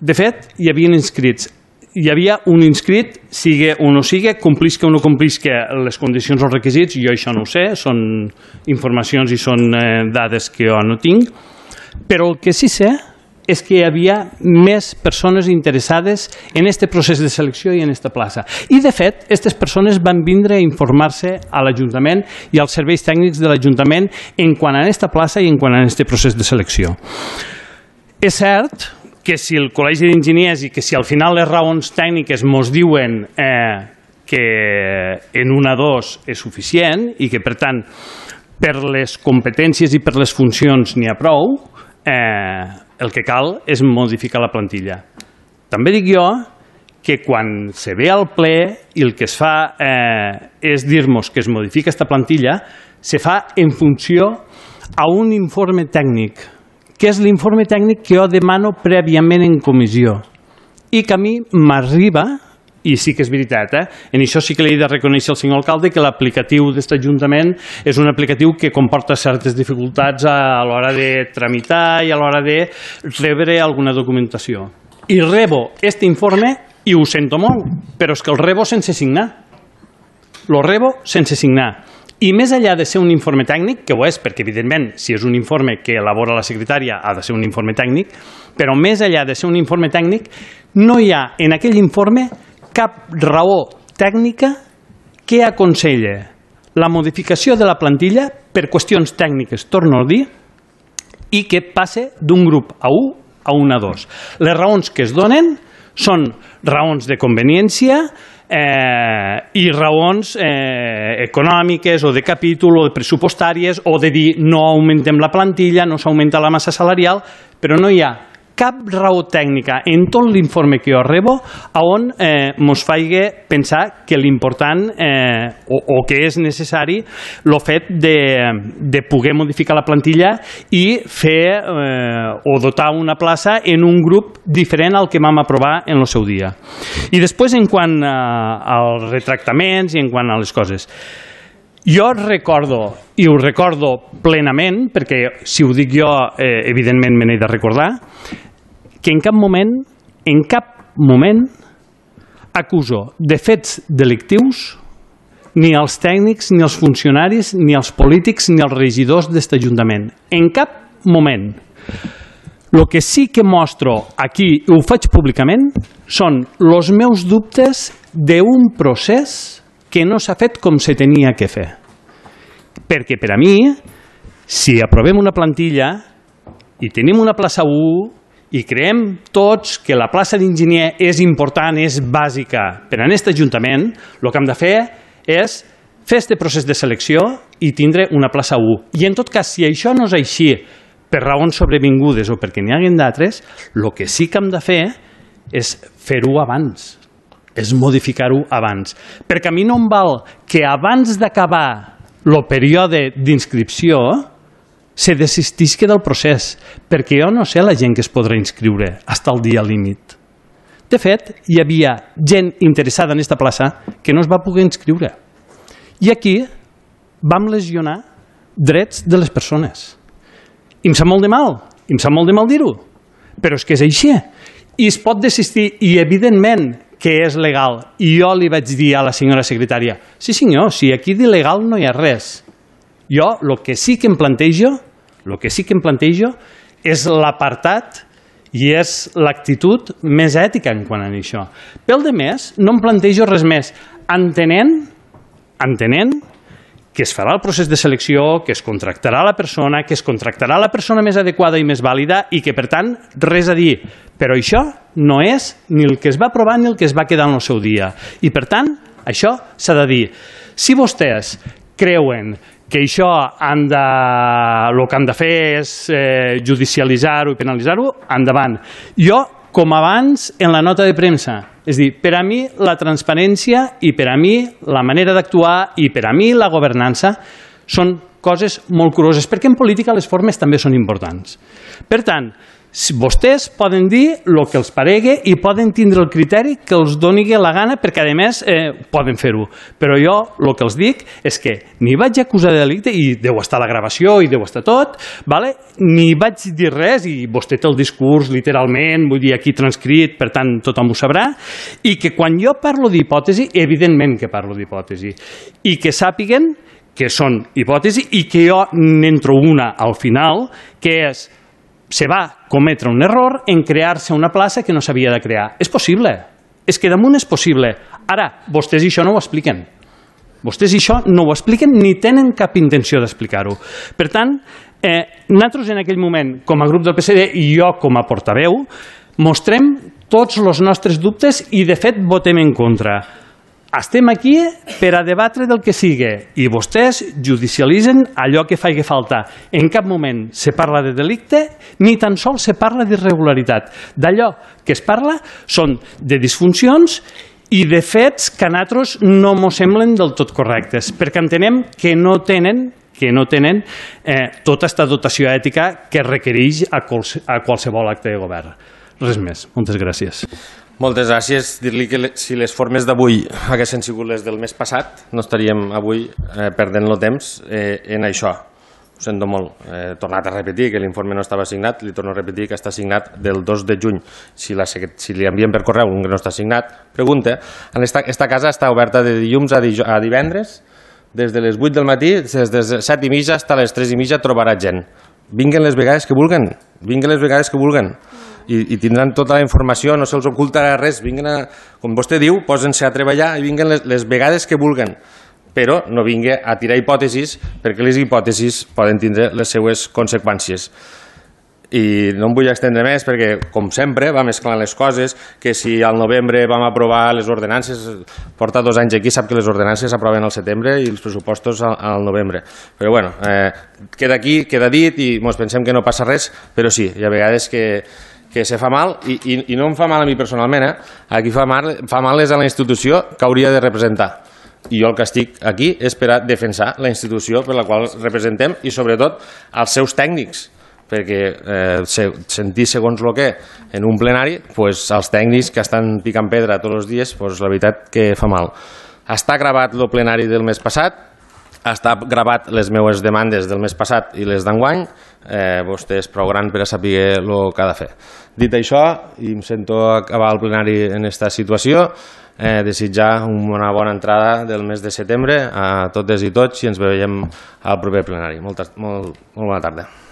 D: De fet, hi havia inscrits. Hi havia un inscrit, sigui o no sigui, complisca o no complisca les condicions o requisits, jo això no ho sé, són informacions i són eh, dades que jo no tinc, però el que sí sé és que hi havia més persones interessades en aquest procés de selecció i en aquesta plaça. I, de fet, aquestes persones van vindre a informar-se a l'Ajuntament i als serveis tècnics de l'Ajuntament en quant a aquesta plaça i en quant a aquest procés de selecció. És cert que si el Col·legi d'Enginyers i que si al final les raons tècniques ens diuen eh, que en una dos és suficient i que, per tant, per les competències i per les funcions n'hi ha prou, eh, el que cal és modificar la plantilla. També dic jo que quan se ve al ple i el que es fa eh, és dir-nos que es modifica aquesta plantilla, se fa en funció a un informe tècnic, que és l'informe tècnic que jo demano prèviament en comissió i que a mi m'arriba, i sí que és veritat, eh? En això sí que li he de reconèixer al senyor alcalde que l'aplicatiu d'aquest Ajuntament és un aplicatiu que comporta certes dificultats a l'hora de tramitar i a l'hora de rebre alguna documentació. I rebo aquest informe i ho sento molt, però és que el rebo sense signar. Lo rebo sense signar. I més enllà de ser un informe tècnic, que ho és, perquè evidentment si és un informe que elabora la secretària ha de ser un informe tècnic, però més enllà de ser un informe tècnic, no hi ha en aquell informe cap raó tècnica que aconsella la modificació de la plantilla per qüestions tècniques, torno a dir, i que passe d'un grup A U a un A dos. Les raons que es donen són raons de conveniència eh, i raons eh, econòmiques o de capítol o de pressupostàries o de dir no augmentem la plantilla, no s'augmenta la massa salarial, però no hi ha cap raó tècnica en tot l'informe que jo rebo a on eh, mos faci pensar que l'important eh, o, o que és necessari el fet de, de poder modificar la plantilla i fer eh, o dotar una plaça en un grup diferent al que vam aprovar en el seu dia. I després, en quant eh, als retractaments i en quant a les coses, jo recordo, i ho recordo plenament, perquè si ho dic jo, eh, evidentment me n'he de recordar, que en cap moment, en cap moment acuso de fets delictius ni els tècnics, ni els funcionaris, ni els polítics, ni els regidors d'aquest Ajuntament. En cap moment. El que sí que mostro aquí, i ho faig públicament, són els meus dubtes d'un procés que no s'ha fet com se tenia que fer. Perquè per a mi, si aprovem una plantilla i tenim una plaça u i creiem tots que la plaça d'enginyer és important, és bàsica per a aquest Ajuntament, el que hem de fer és fer aquest procés de selecció i tindre una plaça u. I en tot cas, si això no és així per raons sobrevingudes o perquè n'hi hagin d'altres, el que sí que hem de fer és fer-ho abans, és modificar-ho abans. Perquè a mi no em val que abans d'acabar el període d'inscripció se desistisca del procés, perquè jo no sé la gent que es podrà inscriure fins al dia límit. De fet, hi havia gent interessada en aquesta plaça que no es va poder inscriure. I aquí vam lesionar drets de les persones. I em sap molt de mal, i em sap molt de mal dir-ho, però és que és així. I es pot desistir, i evidentment que és legal. I jo li vaig dir a la senyora secretària, sí senyor, si aquí d'il·legal no hi ha res. Jo el que sí que em plantejo, el que sí que em plantejo és l'apartat i és l'actitud més ètica en quant a això. Pel de més, no em plantejo res més, entenent, entenent que es farà el procés de selecció, que es contractarà la persona, que es contractarà la persona més adequada i més vàlida i que, per tant, res a dir. Però això no és ni el que es va aprovar ni el que es va quedar en el seu dia. I, per tant, això s'ha de dir. Si vostès creuen que això han de, el que han de fer és eh, judicialitzar-ho i penalitzar-ho, endavant. Jo, com abans, en la nota de premsa, és dir, per a mi la transparència i per a mi la manera d'actuar i per a mi la governança són coses molt curoses, perquè en política les formes també són importants. Per tant, vostès poden dir el que els paregui i poden tindre el criteri que els doni la gana perquè, a més, eh, poden fer-ho. Però jo el que els dic és que ni vaig acusar de delicte, i deu estar la gravació i deu estar tot, vale? Ni vaig dir res, i vostè té el discurs literalment, vull dir, aquí transcrit, per tant tothom ho sabrà, i que quan jo parlo d'hipòtesi, evidentment que parlo d'hipòtesi, i que sàpiguen que són hipòtesi i que jo n'entro una al final, que és se va cometre un error en crear-se una plaça que no s'havia de crear. És possible, és que damunt és possible. Ara, vostès això no ho expliquen. Vostès això no ho expliquen ni tenen cap intenció d'explicar-ho. Per tant, eh, nosaltres en aquell moment, com a grup del P S D i jo com a portaveu, mostrem tots els nostres dubtes i, de fet, votem en contra. Estem aquí per a debatre del que sigui i vostès judicialitzen allò que faci falta. En cap moment se parla de delicte ni tan sols se parla d'irregularitat. D'allò que es parla són de disfuncions i de fets que a nosaltres no mos semblen del tot correctes, perquè entenem que no tenen que no tenen eh, tota aquesta dotació ètica que requereix a, quals, a qualsevol acte de govern. Res més. Moltes gràcies.
A: Moltes gràcies. Dir-li que si les formes d'avui haguessin sigut les del mes passat, no estaríem avui eh, perdent el temps eh, en això. Ho sento molt. He eh, tornat a repetir que l'informe no estava signat, li torno a repetir que està signat del dos de juny. Si, la, si li envien per correu un que no està signat, pregunta. Esta, esta casa està oberta de dilluns a, di, a divendres, des de les vuit del matí, des de les set i mitja fins a les tres i mitja trobarà gent. Vinguen les vegades que vulguen, vinguen les vegades que vulguen. I, i tindran tota la informació, no se'ls ocultarà res, vinguen a, com vostè diu, posen-se a treballar i vinguen les, les vegades que vulguen, però no vinguen a tirar hipòtesis perquè les hipòtesis poden tindre les seues conseqüències. i no em vull extendre més perquè, com sempre, va mesclant les coses, que si al novembre vam aprovar les ordenances, porta dos anys aquí, sap que les ordenances s'aproven al setembre i els pressupostos al, al novembre. Però bueno, eh, queda aquí, queda dit i ens pensem que no passa res, però sí, hi ha vegades que, que se fa mal i, i, i no em fa mal a mi personalment, eh? Aquí fa mal, fa mal és a la institució que hauria de representar. I jo el que estic aquí és per a defensar la institució per la qual representem i sobretot els seus tècnics, perquè eh, sentir segons el que en un plenari, pues, els tècnics que estan picant pedra tots els dies, pues, la veritat que fa mal. Està gravat el plenari del mes passat, està gravat les meves demandes del mes passat i les d'enguany, eh, vostè és prou gran per a saber el que ha de fer. Dit això, i em sento acabar el plenari en aquesta situació, eh, desitjar una bona entrada del mes de setembre a totes i tots i ens veiem al proper plenari. Molta, molt, molt bona tarda.